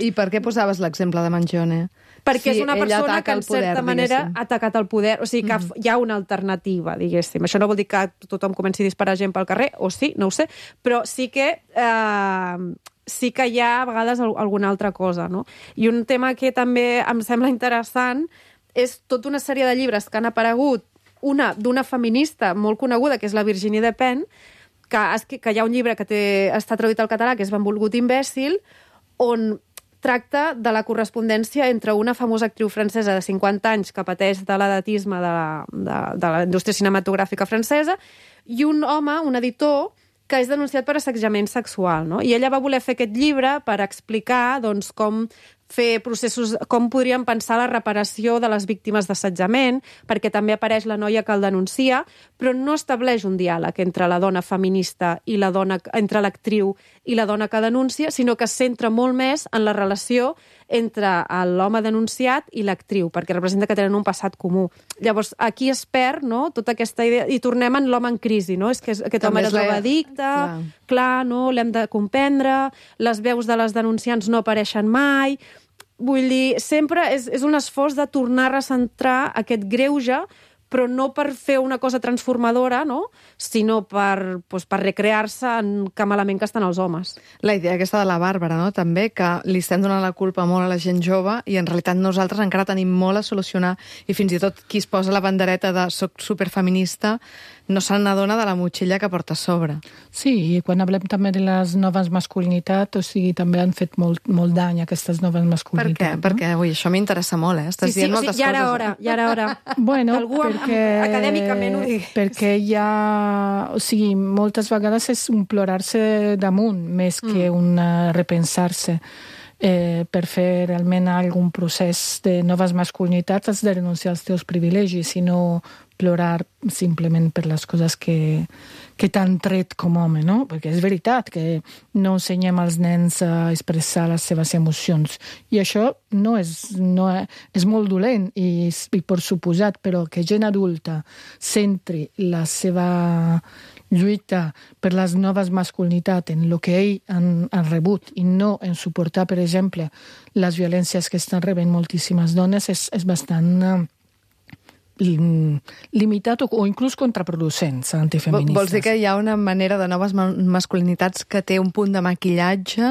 I per què posaves l'exemple de Manjoni? Perquè és una persona que, en certa manera, ha atacat el poder. O sigui, que hi ha una alternativa, diguéssim. Això no vol dir que tothom comenci a disparar gent pel carrer, o sí, no ho sé, però sí que hi ha a vegades alguna altra cosa, no? I un tema que també em sembla interessant és tota una sèrie de llibres que han aparegut, una d'una feminista molt coneguda, que és la Virginie Despentes, que hi ha un llibre que està traduït al català, que és Benvolgut imbècil, on tracta de la correspondència entre una famosa actriu francesa de 50 anys que pateix de l'edatisme de la indústria cinematogràfica francesa i un home, un editor, que és denunciat per assetjament sexual, no? I ella va voler fer aquest llibre per explicar, doncs, com fer processos, com podríem pensar la reparació de les víctimes d'assetjament, perquè també apareix la noia que el denuncia, però no estableix un diàleg entre la dona feminista i la dona, entre l'actriu i la dona que denuncia, sinó que es centra molt més en la relació entre l'home denunciat i l'actriu, perquè representa que tenen un passat comú. Llavors, aquí es perd, no?, tota aquesta idea, i tornem en l'home en crisi, no? És que aquest home era drogadicte, clar, no?, l'hem de comprendre, les veus de les denunciants no apareixen mai. Vull dir, sempre és un esforç de tornar a recentrar aquest greuge, però no per fer una cosa transformadora, no?, sinó per recrear-se en que malament que estan els homes. La idea aquesta de la Bàrbara, no?, també, que li estem donant la culpa molt a la gent jove i en realitat nosaltres encara tenim molt a solucionar i fins i tot qui es posa la bandereta de soc superfeminista no se n'adona de la motxilla que porta a sobre. Sí, i quan parlem també de les noves masculinitats, o sigui, també han fet molt dany aquestes noves masculinitats. Per què? Perquè, ui, això m'interessa molt, Estàs dient moltes coses. Ja era hora. Bueno, algú acadèmicament ho digui. Perquè hi ha... O sigui, moltes vegades és un plorar-se damunt, més que un repensar-se. Per fer realment algun procés de noves masculinitats has de renunciar als teus privilegis i no plorar simplement per les coses que t'han tret com a home, no? Perquè és veritat que no ensenyem als nens a expressar les seves emocions. I això és molt dolent i per suposat, però que gent adulta centri la seva lluita per les noves masculinitats en el que ells han rebut i no en suportar, per exemple, les violències que estan rebent moltíssimes dones és bastant limitat o inclús contraproducents antifeministes. Vols dir que hi ha una manera de noves masculinitats que té un punt de maquillatge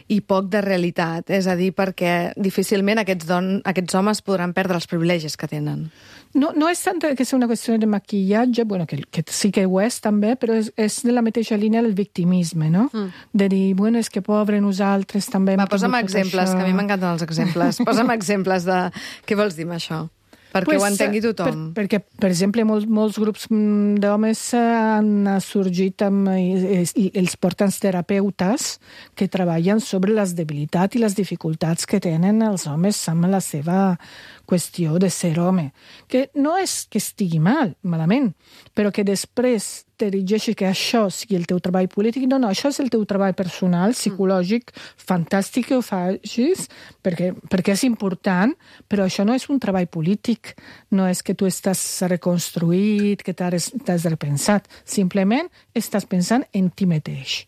i poc de realitat? És a dir, perquè difícilment aquests homes podran perdre els privilegis que tenen. No és tant que és una qüestió de maquillatge, bueno, que sí que ho és també, però és de la mateixa línia del victimisme, no? De dir, bueno, és que pobre nosaltres també... Posa'm exemples, que a mi m'encanten els exemples. Posa'm exemples de... Què vols dir amb això? Perquè ho entengui tothom. Perquè, per exemple, molts grups d'homes han sorgit i els porten terapeutes que treballen sobre les debilitats i les dificultats que tenen els homes amb la seva qüestió de ser home. Que no és que estigui malament, però que després t'erigeixi que això sigui el teu treball polític. No, això és el teu treball personal, psicològic, fantàstic que ho facis, perquè és important, però això no és un treball polític. No és que tu estàs reconstruït, que t'has repensat. Simplement estàs pensant en ti mateix.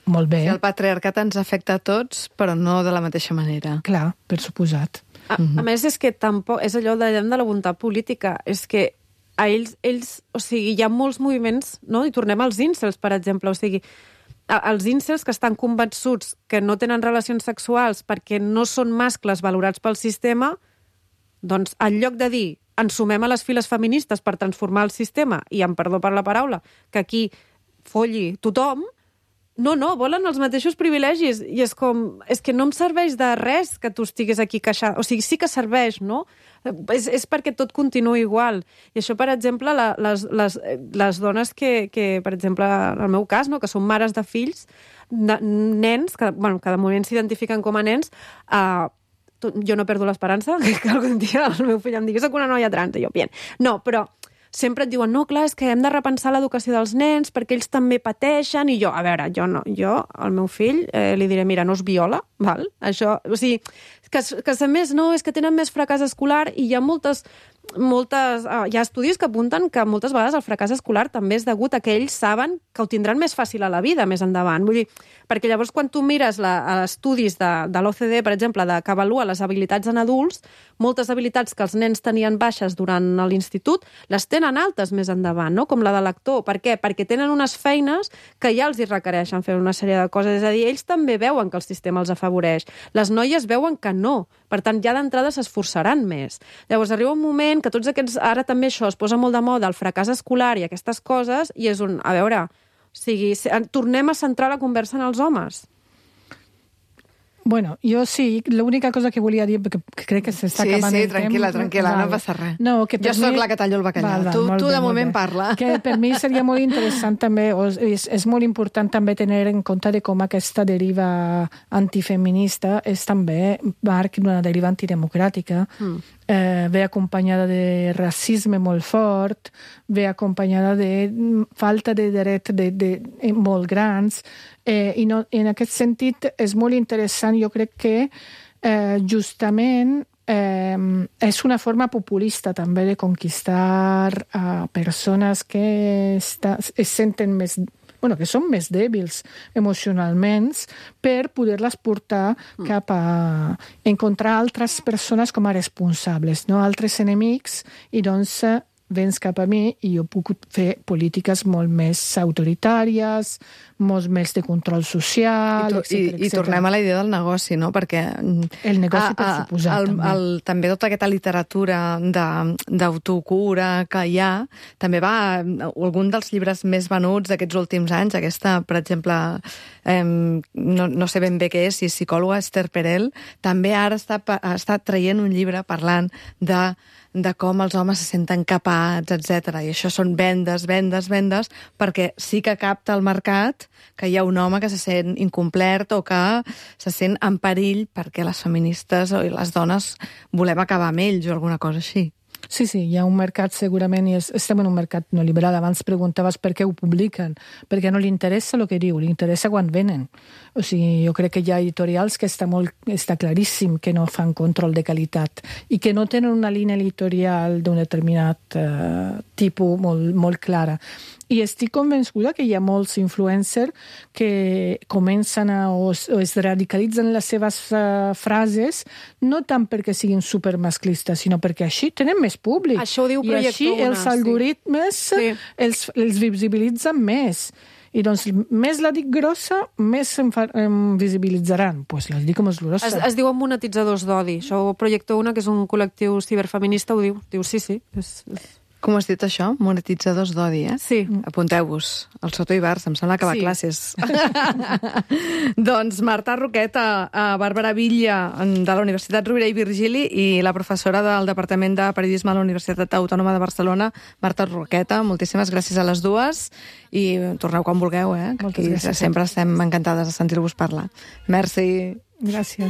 Molt bé. El patriarcat ens afecta a tots, però no de la mateixa manera. Clar, per suposat. A més, és que tampoc és allò de la voluntat política. És que a ells, o sigui, hi ha molts moviments, no? I tornem als incels, per exemple. O sigui, els incels que estan convençuts que no tenen relacions sexuals perquè no són mascles valorats pel sistema, doncs, en lloc de dir ens sumem a les files feministes per transformar el sistema, i amb perdó per la paraula, que aquí folli tothom, No, volen els mateixos privilegis. I és com... És que no em serveix de res que tu estiguis aquí queixant. O sigui, sí que serveix, no? És perquè tot continua igual. I això, per exemple, les dones que, per exemple, en el meu cas, no? Que són mares de fills, de nens, que de moment s'identifiquen com a nens, jo no perdo l'esperança que algun dia el meu fill em digui soc una noia trans, i jo, bien. No, però sempre et diuen, no, clar, és que hem de repensar l'educació dels nens perquè ells també pateixen, i jo, a veure, jo al meu fill li diré, mira, no es viola, val? Això, o sigui, que a més, no, és que tenen més fracàs escolar, i hi ha hi ha estudis que apunten que moltes vegades el fracàs escolar també és degut a que ells saben que ho tindran més fàcil a la vida més endavant. Vull dir, perquè llavors quan tu mires estudis de l'OCDE, per exemple, que avalua les habilitats en adults, moltes habilitats que els nens tenien baixes durant l'institut les tenen altes més endavant, no? Com la de lector. Per què? Perquè tenen unes feines que ja els hi requereixen fer una sèrie de coses. És a dir, ells també veuen que el sistema els afavoreix. Les noies veuen que no. Per tant, ja d'entrada s'esforçaran més. Llavors arriba un moment que tots aquests... Ara també això es posa molt de moda, el fracàs escolar i aquestes coses, i és un... A veure, o sigui, tornem a centrar la conversa en els homes. Bueno, jo sí, l'única cosa que volia dir, perquè crec que s'està acabant el temps... Sí, tranquil·la, no passa res. No, jo soc la que tallo el bacallà. Tu de moment parla. Que per mi seria molt interessant també, és molt important també tenir en compte de com aquesta deriva antifeminista és també marc d'una deriva antidemocràtica. Ve acompanyada de racisme molt fort, ve acompanyada de falta de drets molt grans, i en aquest sentit és molt interessant. Jo crec que justament és una forma populista també de conquistar persones que es senten més... que són més dèbils emocionalment, per poder-les portar cap a encontrar altres persones com a responsables, no? Altres enemics, i doncs vens cap a mi i jo puc fer polítiques molt més autoritàries, molt més de control social, etc. I tornem a la idea del negoci, no? Perquè el negoci per suposar, també tota aquesta literatura d'autocura que hi ha, també va... Algun dels llibres més venuts d'aquests últims anys, aquesta, per exemple, no sé ben bé què és, si és psicòloga, Esther Perel, també ara està traient un llibre parlant de com els homes se senten capats, etc. I això són vendes, perquè sí que capta el mercat que hi ha un home que se sent incomplert o que se sent en perill perquè les feministes o les dones volem acabar amb ells o alguna cosa així. Sí, hi ha un mercat segurament, i estem en un mercat no liberal. Abans preguntaves per què ho publiquen, perquè no li interessa el que diu, li interessa quan venen. O sigui, jo crec que hi ha editorials que està claríssim que no fan control de qualitat i que no tenen una línia editorial d'un determinat tipus molt clara. I estic convençuda que hi ha molts influencers que comencen o es radicalitzen les seves frases, no tant perquè siguin supermasclistes, sinó perquè així tenen més públic. Això ho diu Projecte I així els algoritmes els visibilitzen més. I doncs, més la dic grossa, més em visibilitzaran. Doncs la dic més grossa. Es diuen monetitzadors d'odi. Això Projecte Una, que és un col·lectiu ciberfeminista, ho diu. Diu, sí. Com has dit això? Monetitzadors d'odi, eh? Sí. Apunteu-vos. El Soto Ibars, em sembla que va a classes. Doncs Marta Roqueta, Bàrbara Villa, de la Universitat Rovira i Virgili, i la professora del Departament de Periodisme a la Universitat Autònoma de Barcelona, Marta Roqueta. Moltíssimes gràcies a les dues i torneu quan vulgueu, eh? Moltes gràcies. Sempre estem encantades de sentir-vos parlar. Merci. Gràcies.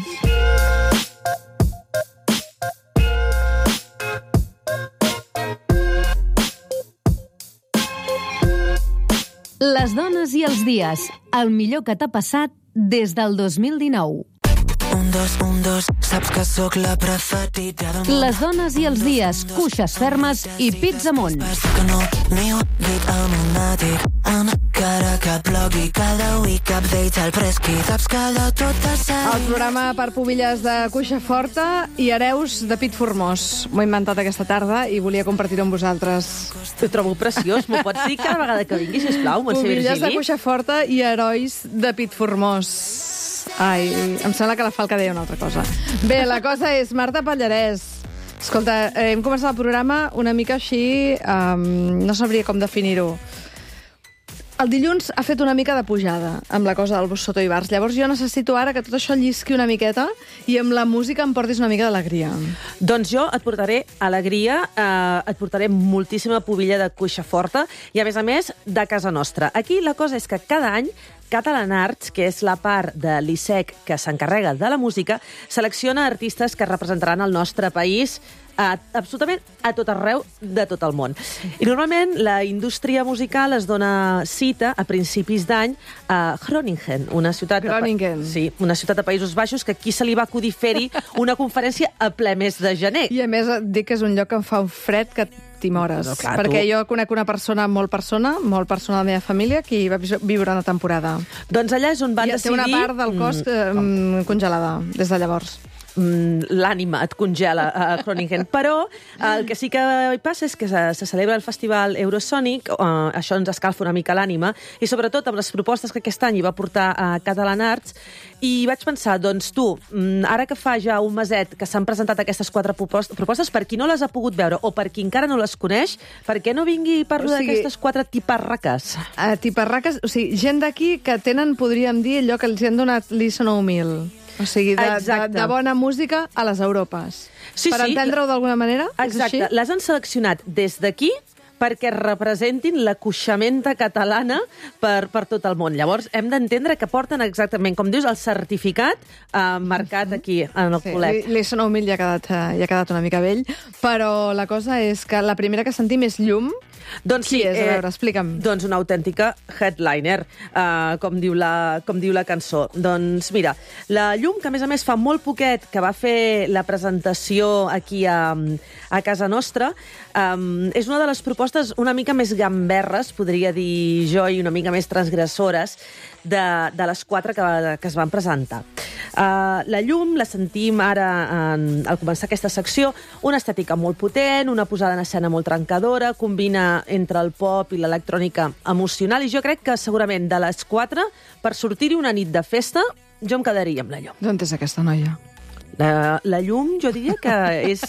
Les dones i els dies. El millor que t'ha passat des del 2019. 1, 2, 1, 2, saps que sóc la preferida del món. Les dones i els dies. Cuixes fermes i pits amunt. Que no m'hi he dit el monàtic, encara que blogui cada week updates al fresqui, saps que de totes El programa per pubilles de cuixa forta i hereus de pit formós. M'ho he inventat aquesta tarda i volia compartir-ho amb vosaltres. Ho trobo preciós. M'ho pots dir cada vegada que vingui, sisplau, Montse Virgili? Pubilles de cuixa forta i herois de pit formós. Ai, em sembla que la Falca deia una altra cosa. Bé, la cosa és Marta Pallarès. Escolta, hem començat el programa una mica així, no sabria com definir-ho. El dilluns ha fet una mica de pujada amb la cosa del Soto i Bars. Llavors jo necessito ara que tot això llisqui una miqueta i amb la música em portis una mica d'alegria. Doncs jo et portaré alegria, et portaré moltíssima pubilla de cuixa forta i, a més, de casa nostra. Aquí la cosa és que cada any Catalan Arts, que és la part de l'ISEC que s'encarrega de la música, selecciona artistes que representaran el nostre país absolutament a tot arreu de tot el món. I normalment la indústria musical es dona cita a principis d'any a Groningen, una ciutat una ciutat de Països Baixos, que aquí se li va acudir fer-hi una conferència a ple mes de gener. I a més et dic que és un lloc que em fa un fred que t'imores, perquè jo conec una persona molt persona de la meva família que hi va viure una temporada. Doncs allà és on van decidir... I té una part del cos congelada des de llavors. L'ànima et congela a Groningen. Però el que sí que hi passa és que se celebra el festival Eurosonic, això ens escalfa una mica l'ànima, i sobretot amb les propostes que aquest any hi va portar a Catalan Arts, i vaig pensar, doncs tu, ara que fa ja un meset que s'han presentat aquestes 4 propostes, per qui no les ha pogut veure o per qui encara no les coneix, per què no vingui i parlo d'aquestes 4 tiparraques? Tiparraques, o sigui, gent d'aquí que tenen, podríem dir, allò que els han donat l'ISO 9000. O sigui, de bona música a les Europes. Per entendre-ho d'alguna manera? Exacte. Les han seleccionat des d'aquí perquè representin la cuixamenta catalana per tot el món. Llavors, hem d'entendre que porten exactament, com dius, el certificat marcat aquí, en el col·lec. L'ISO 9000 ja ha quedat una mica vell, però la cosa és que la primera que sentim és Llum. Doncs qui és? A veure, explica'm. Doncs una autèntica headliner, com diu la cançó. Doncs mira, la Llum, que a més fa molt poquet que va fer la presentació aquí a casa nostra, és una de les propostes una mica més gamberres, podria dir jo, i una mica més transgressores de les 4 que es van presentar. La Llum la sentim ara, al començar aquesta secció, una estètica molt potent, una posada en escena molt trencadora, combina entre el pop i l'electrònica emocional, i jo crec que segurament de les 4, per sortir-hi una nit de festa, jo em quedaria amb la Llum. D'on és aquesta noia? La Llum, jo diria que és...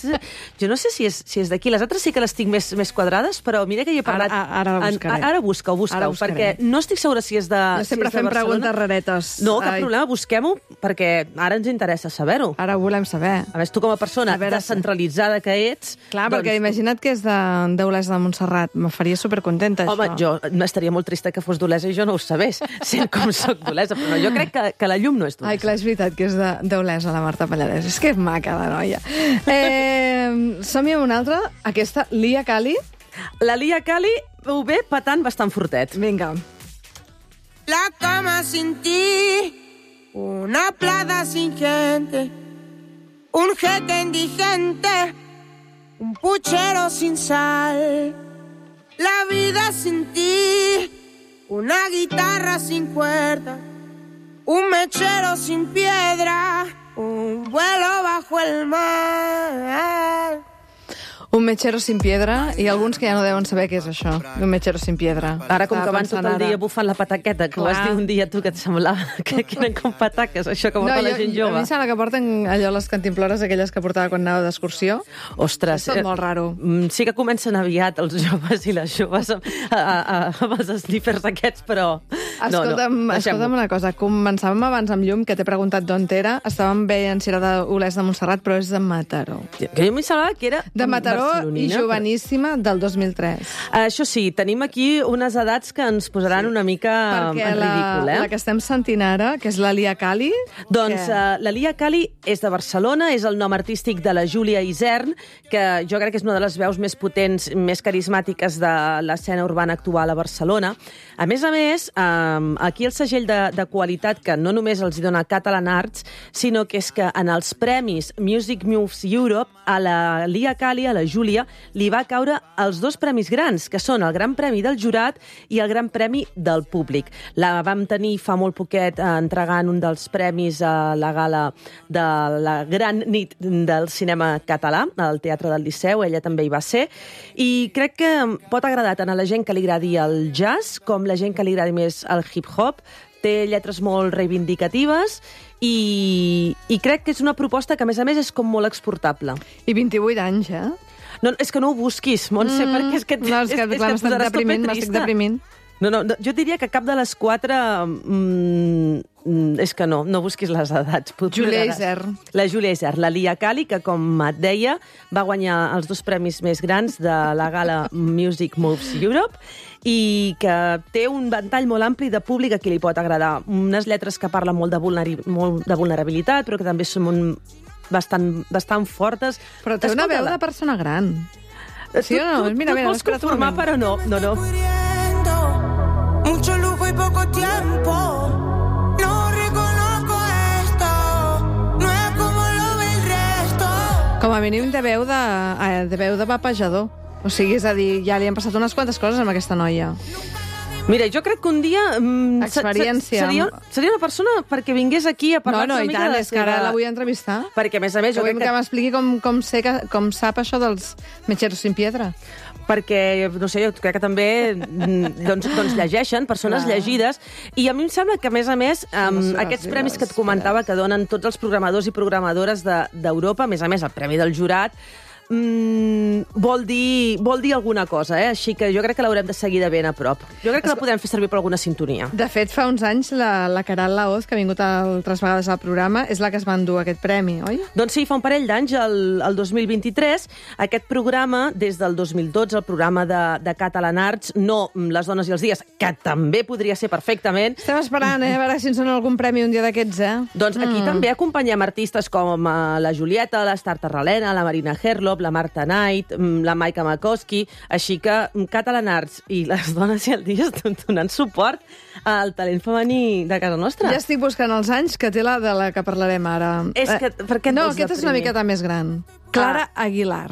Jo no sé si és d'aquí. Les altres sí que les tinc més quadrades, però mira que hi he parlat... Ara la buscaré. Ara busca-ho, perquè no estic segura si és de Barcelona. Jo sempre fem preguntes raretes. No, cap problema, busquem-ho, perquè ara ens interessa saber-ho. Ara ho volem saber. A més, tu com a persona descentralitzada que ets... Clar, perquè imagina't que és d'Olesa de Montserrat. Me faria supercontenta, això. Home, jo estaria molt trista que fos d'Olesa i jo no ho sabés, sent com soc d'Olesa, però no, jo crec que la Llum no és d'Olesa. Ai, clar, és veritat que és d'Olesa, la Marta Pallarès. És que és maca, la noia. Som-hi amb una altra, aquesta, Lia Kali. La Lia Kali ho ve patant bastant fortet. Vinga. La cama sin ti, una playa sin gente, un jeque indigente, un puchero sin sal. La vida sin ti, una guitarra sin cuerda, un mechero sin piedra, un vuelo bajo el mar. Un mechero sin piedra, i alguns que ja no deuen saber què és això, un mechero sin piedra. Ara, com que van tot el dia bufant la pataqueta, que ho vas dir un dia tu que et semblava que eren com pataques, això que porta la gent jove. A mi em sembla que porten allò les cantimplores, aquelles que portava quan anava d'excursió. Ostres. És tot molt raro. Sí que comencen aviat els joves i les joves amb els sniffers aquests, però... Escolta'm una cosa, començàvem abans amb Llum, que t'he preguntat d'on era, estàvem veient si era d'Olesa de Montserrat, però és de Mataró. Jo m'hi semblava que era de Mataró i joveníssima del 2003. Això sí, tenim aquí unes edats que ens posaran una mica en ridícul, la que estem sentint ara, que és la Lia Kali... Doncs la Lia Kali és de Barcelona, és el nom artístic de la Júlia Isern, que jo crec que és una de les veus més potents, més carismàtiques de l'escena urbana actual a Barcelona. A més, aquí el segell de qualitat que no només els dona Catalan Arts, sinó que és que en els premis Music Moves Europe, a la Lia Kali, a la Júlia, li va caure els 2 premis grans, que són el Gran Premi del Jurat i el Gran Premi del Públic. La vam tenir fa molt poquet entregant un dels premis a la gala de la gran nit del cinema català, al Teatre del Liceu, ella també hi va ser, i crec que pot agradar tant a la gent que li agradi el jazz com la gent que li agradi més el hip-hop. Té lletres molt reivindicatives i crec que és una proposta que, a més, és com molt exportable. I 28 anys, eh? No, és que no ho busquis, Montse, perquè és que m'estic deprimint. No, jo diria que cap de les 4... és que no busquis les edats. Júlia Isern. La Júlia Isern, la Lia Cali, que, com et deia, va guanyar els 2 premis més grans de la gala Music Moves Europe i que té un ventall molt ampli de públic a qui li pot agradar. Unes lletres que parlen molt de vulnerabilitat, però que també són bastant fortes. Però té una veu de persona gran. Sí o no? Mira, vols conformar, però no. Mucho lujo y poco tiempo. Com a mínim de veu de vapejador. O sigui, és a dir, ja li han passat unes quantes coses amb aquesta noia. Mira, jo crec que un dia... Experiència. Seria una persona perquè vingués aquí a parlar una mica de la seva... és que ara la vull entrevistar. Perquè, a més, jo crec que m'expliqui com sap això dels Mecheros sin piedra. Perquè, no sé, jo crec que també doncs llegeixen, persones llegides, i a mi em sembla que, a més, aquests premis que et comentava que donen tots els programadors i programadores d'Europa, a més, el Premi del Jurat, vol dir alguna cosa, així que jo crec que l'haurem de seguir de ben a prop. Jo crec que la podem fer servir per alguna sintonia. De fet, fa uns anys, la Caral Laoz, que ha vingut altres vegades al programa, és la que es va endur aquest premi, oi? Doncs sí, fa un parell d'anys, el 2023, aquest programa, des del 2012, el programa de Catalan Arts, no Les dones i els dies, que també podria ser perfectament. Estem esperant, a veure si ens donen algun premi un dia d'aquests, Doncs aquí també acompanyem artistes com la Julieta, l'Estar Tarralena, la Marina Herlop, la Marta Knight, la Maika Makoski, així que Catalan Arts i Les dones i els dies donant suport al talent femení de casa nostra. Ja estic buscant els anys que té la de la que parlarem ara. És que, per què no, aquesta és una miqueta més gran. Clara Aguilar.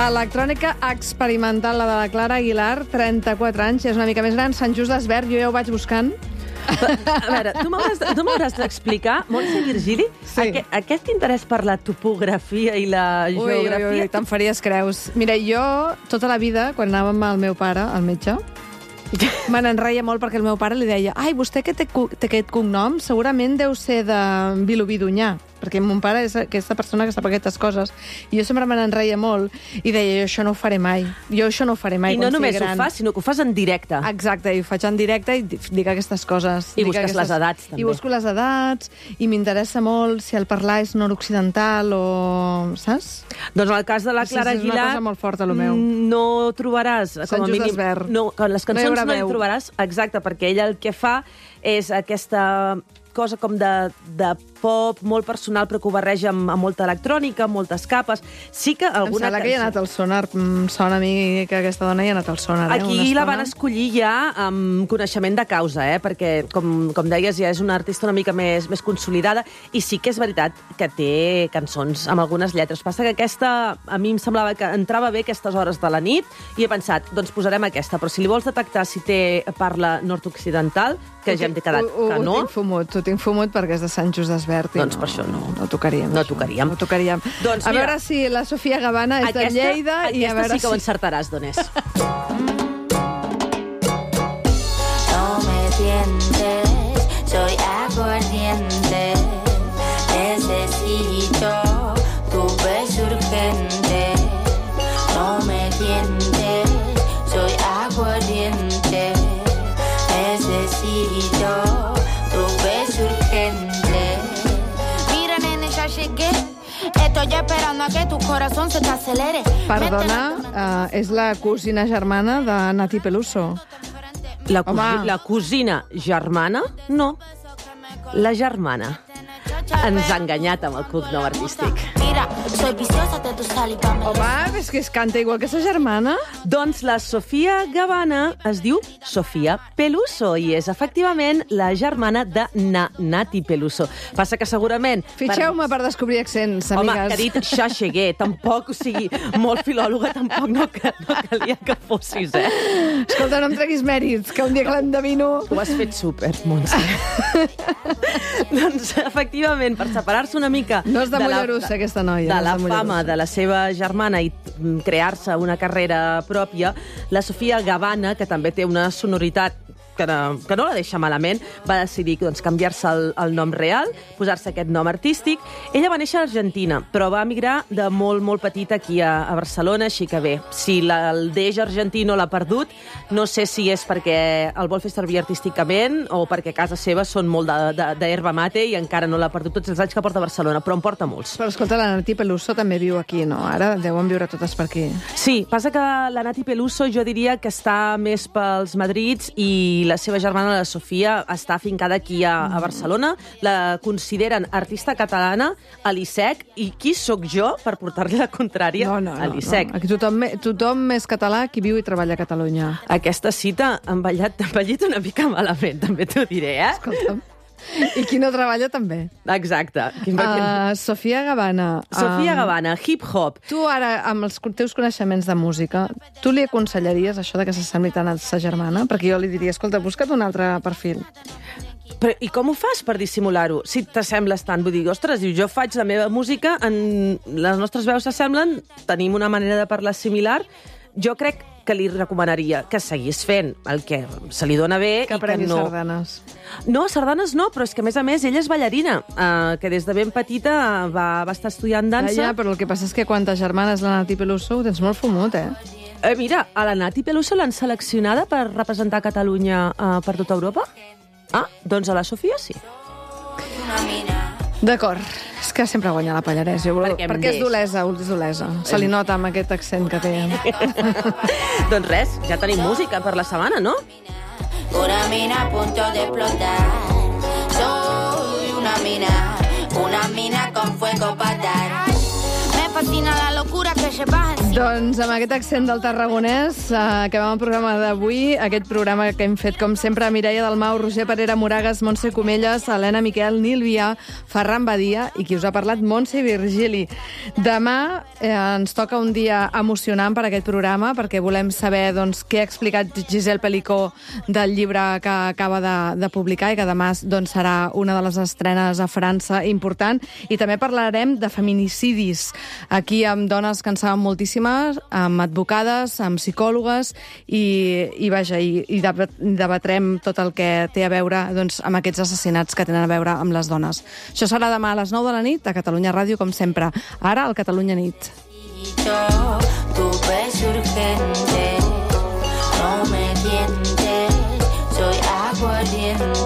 Electrònica experimental, la de la Clara Aguilar, 34 anys, és una mica més gran, Sant Just d'Esvern, jo ja ho vaig buscant. A veure, tu m'hauràs d'explicar, Montse Virgili, aquest interès per la topografia i la geografia... Ui, te'n faries creus. Mira, jo, tota la vida, quan anàvem amb el meu pare, al metge, me n'enreia molt perquè el meu pare li deia vostè que té aquest cognom segurament deu ser de Vilobí d'Onyar, perquè mon pare és aquesta persona que sap aquestes coses, i jo sempre me n'enreia molt, i deia, jo això no ho faré mai. I no només ho fas, sinó que ho fas en directe. Exacte, i ho faig en directe i dic aquestes coses. I busques les edats, també. I busco les edats, i m'interessa molt si el parlar és nord-occidental o... saps? Doncs en el cas de la Clara Aguilar... És una cosa molt forta, el meu. No trobaràs, com a mínim... No, les cançons no hi trobaràs, exacte, perquè ella el que fa és aquesta cosa com de pop, molt personal, però que ho barreja amb molta electrònica, amb moltes capes. Sí que alguna... Em sembla que hi ha anat al sonar. Sona a mi que aquesta dona hi ha anat al sonar. Aquí la van escollir ja amb coneixement de causa, perquè, com deies, ja és una artista una mica més consolidada, i sí que és veritat que té cançons amb algunes lletres. Passa que aquesta, a mi em semblava que entrava bé aquestes hores de la nit, i he pensat, doncs posarem aquesta, però si li vols detectar si té parla nord-occidental, que ja hem quedat que no... Ho tinc fumut perquè és de Sant Just d'Esvern. Doncs per això no. No tocaríem. No tocaríem. Doncs, a veure si la Sofia Gavana és de Lleida. Aquesta sí que ho encertaràs, d'on és. No me sientes, soy aguardiente. Necesito tu beso urgente. No me sientes, soy aguardiente. Necesito tu beso urgente. Mira, nene, ya llegué. Estoy esperando a que tu corazón se te acelere. Perdona, és la cosina germana de Nati Peluso. La cosina germana? No. La germana. ens ha enganyat amb el cognom artístic. Mira, soy viciosa de tu saliva. Home, és que es canta igual que sa germana. Doncs la Sofia Gavana es diu Sofia Peluso i és efectivament la germana de Nati Peluso. Passa que segurament... Fitxeu-me per descobrir accents, Home, amigues. que ha dit Xaxeguer, tampoc, o sigui, molt filòloga, tampoc no calia que fossis, Escolta, no em treguis mèrits, que un dia que l'endevino... Ho has fet súper, Montse. Doncs, efectivament, per separar-se una mica... No és de Mollerussa, aquesta noia. De no és la de Mollerussa. fama de la seva germana i crear-se una carrera pròpia, la Sofia Gavana, que també té una sonoritat que no la deixa malament, va decidir doncs, canviar-se el nom real, posar-se aquest nom artístic. Ella va néixer a Argentina, però va emigrar de molt, molt petita aquí a Barcelona, així que bé, si el deix argentí no l'ha perdut, no sé si és perquè el vol fer servir artísticament o perquè a casa seva són molt d'herba mate i encara no l'ha perdut tots els anys que porta a Barcelona, però en porta molts. Però escolta, la Nati Peluso també viu aquí, no? Ara deuen viure totes per aquí. Sí, passa que la Nati Peluso jo diria que està més pels Madrids i la seva germana, la Sofia, està afincada aquí a Barcelona. La consideren artista catalana a l'ISEC. I qui sóc jo per portar-li la contrària a l'ISEC? Aquí tothom és català qui viu i treballa a Catalunya. Aquesta cita ha envellit una mica malament, també t'ho diré, Escolta'm. I qui no treballa també. Exacte. Sofia Gavana. Sofia Gavana, hip-hop. Tu ara, amb els teus coneixements de música, tu li aconsellaries això de que s'assembli tant a sa germana? Perquè jo li diria, escolta, busca't un altre perfil. Però, i com ho fas per dissimular-ho? Si t'assembles tant, vull dir, ostres, jo faig la meva música, les nostres veus s'assemblen, tenim una manera de parlar similar, jo crec que li recomanaria que seguís fent el que se li dona bé que i que no... sardanes. No, sardanes no, però és que, a més, ella és ballarina, que des de ben petita va estar estudiant dansa. Ja, però el que passa és que quan ta germana és la Nati Peluso ho tens molt fumut, Mira, a la Nati Peluso l'han seleccionada per representar Catalunya per tota Europa? Ah, doncs a la Sofia sí. D'acord. És que sempre guanya la Pallarès. Perquè és d'Olesa, Se li nota amb aquest accent que té. Doncs res, ja tenim música per la setmana, no? Una mina a punto de explotar. Soy una mina con fuego para dar. Me fascina la locura que se baja encima. Doncs amb aquest accent del tarragonès acabem el programa d'avui, aquest programa que hem fet com sempre Mireia Dalmau, Roger Parera Moragas, Montse Comelles, Helena Miquel, Nil Vià, Ferran Badia i qui us ha parlat, Montse Virgili. Demà ens toca un dia emocionant per aquest programa perquè volem saber doncs, què ha explicat Giselle Pelicó del llibre que acaba de publicar i que demà doncs, serà una de les estrenes a França important i també parlarem de feminicidis aquí amb dones que en saben moltíssimes, amb advocades, amb psicòlogues i debatrem tot el que té a veure doncs, amb aquests assassinats que tenen a veure amb les dones. Això serà demà a les 9 de la nit a Catalunya Ràdio, com sempre. Ara, al Catalunya Nit. Tu beso urgente, no me tientes, soy aguardiente.